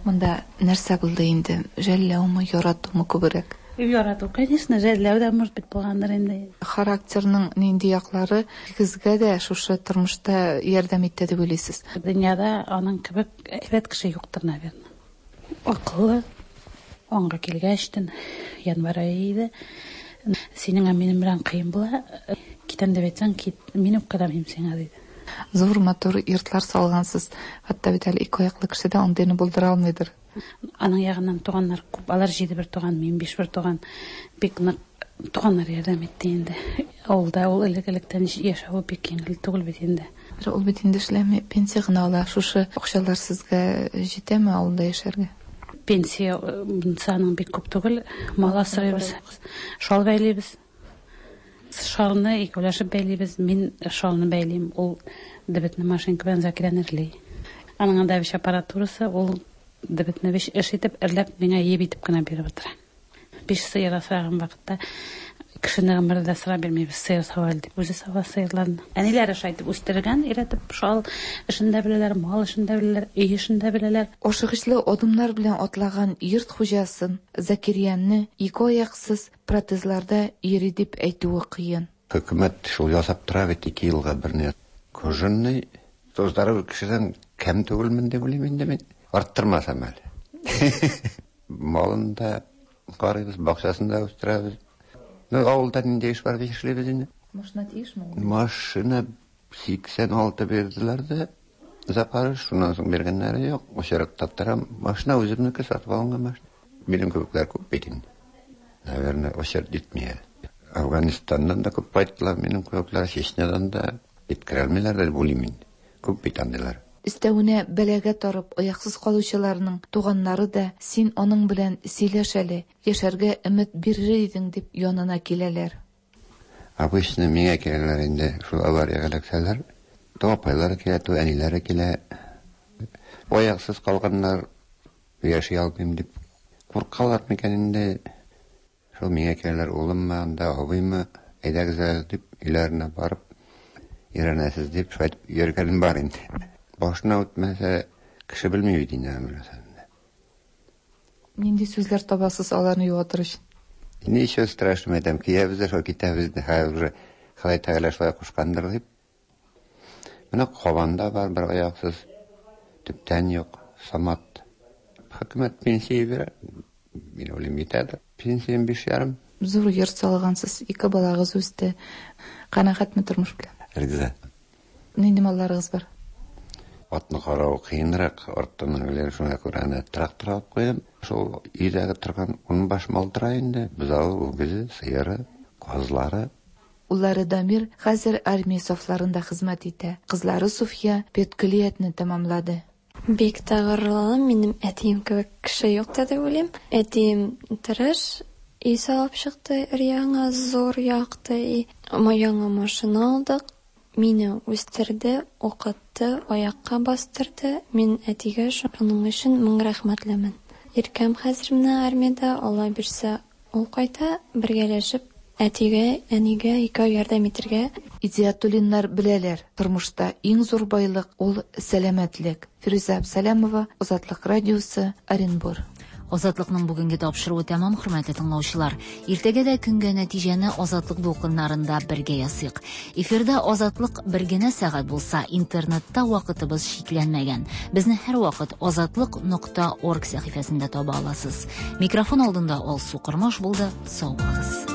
Монда нәрсә булды инде? Жәлләүме, яратумы күбрәк? Ярату, конечно, жәлләү дә может быть булгандыр инде. Характерның нинди яклары икегезгә дә шушы тормышта ярдәм итте дип уйлыйсыз? Дөньяда аның кебек әйбәт кеше юктыр, наверное. Акыллы, аңга килгәчтен, январь ае иде. Синең минем белән кыен була. Китәм дип әйтсәң, кит, мин үпкәләмим сиңа, диде. Зур матур йортлар салгансыз. Хәтта бит әле ике аяклы кеше дә андыйны булдыра алмыйдыр. Аның ягыннан туганнар күп. Алар җиде бер туган, мин биш бер туган. Бик нык туганнар ярдәм итте инде. Авылда ул элек-электән яшәве бик җиңел түгел бит инде. Ул бит инде эшләми, пенсия гына ала. Шушы акчалар сезгә җитәме авылда яшәргә? Пенсия аның бик күп түгел. Мал асрыйбыз, шал бәйлибез. Шалны икәүләшеп бәйлибез. Мин шалны бәйлим, ул дебетне машинка белән Закирән эрли. Аның анда биш аппаратурасы, ул дебетне биш эш итеп, эрләп, миңа еп итеп кенә биреп утыра. Биш сыер асраган вакытта кешене гомердә сора бирмибез, сыер сава әле дип, үзе сава сыерларны. Әниләре шулай итеп үстергән, өйрәтеп, шал эшен дә беләләр, мал эшен дә беләләр, өй эшен дә беләләр. Ашыгычлы адымнар белән атлаган йорт хуҗасын Закирьянны ике аяксыз протезларда йөри дип әйтүе кыен. Хөкүмәт шул ясап тора бит ике елга берне. Кожаный здоровый кешедән кәм түгелмен дип уйлыйм инде мин. Арттырмасам әле. Малын да карыйбыз, бакчасын да үстерәбез. Ну, авылда нинди эш бар, эшлибез инде. Машина тиешме ул? Машина 86 бирделәр дә, Запорож, шуннан соң биргәннәре юк. Очеракта торам. Машина үземнеке, сатып алынган машина. Минем кебекләр күп бит инде. Наверное, очеред җитми әле. Афганистаннан да күп кайттылар минем кебекләр, Чечнядан да җиткерә алмыйлар дип уйлыйм инде. Күп бит андыйлар. Өстәвенә бәлагә тарып, аяксыз калучыларның туганнары да син аның белән сөйләш әле, яшәргә өмет бирер идең дип янына киләләр. Обычно миңа киләләр инде, шул авариягә эләксәләр. То апайлары килә, то әниләре килә. Аяксыз калганнар яши алмыйм дип куркалар микән инде. Шул миңа киләләр, улыммы, анда абыймы, әйдәгез әле дип өйләренә барып өйрәнәсез дип шулай итеп йөргәнем бар инде. Башына үтмәсә, кеше белми бит инде аны. Нинди сүзләр табасыз аларны юатыр өчен? Ничего страшного, әйтәм, киябез дә шул китәбез дә, хәзер уже Ходай Тәгалә шулай кушкандыр дип. Менә Кабанда бар бер аяксыз, төптән юк, Самат. Хөкүмәт пенсия бирә, мин уйлыйм, җитәдер. Пенсиям 5,5. Зур йорт салгансыз, ике балагыз үсте. Канәгатьме тормыш белән? Риза. Нинди малларыгыз бар? Атны карау кыенрак, арттан гел шуңа күрә аны трактор алып куйдым. Шул өйдәге торган ун баш мал тора инде, бозавы, үгезе, сыеры, казлары. Уллары Дамир хәзер армия сафларында хезмәт итә. Кызлары Суфия педкөллиятне тәмамлады. Бик тә горурланам, минем әтием кебек кеше юк та дип уйлыйм. Әтием тырыш, өй салып чыкты, өр-яңа, зур, якты өй. Яңа машина алдык. Мине үстерде, укытты, аякка бастырды. Мин әтигә шуның өчен мең рәхмәтлемен. Иркәм хәзер менә армиядә, Алла бирсә, ул кайта, бергәләшеп әтигә, әнигә икәү ярдәм итергә. Идиятуллиннар беләләр, тормышта иң зур байлык ул сәламәтлек. Фирүзә Абсалямова, Азатлык радиосы, Оренбур. Азатлыкның бүгенге тапшыруы тәмам, хөрмәтле тыңлаучылар. Иртәгә дә көнгә нәтиҗәне Азатлык дулкыннарында бергә ясыйк. Эфирда Азатлык бер генә сәгать булса, интернетта вакытыбыз чикләнмәгән. Безне һәрвакыт азатлык нокта орг сәхифәсендә таба аласыз. Микрофон алдында Алсу Кормаш булды. Сау булыгыз.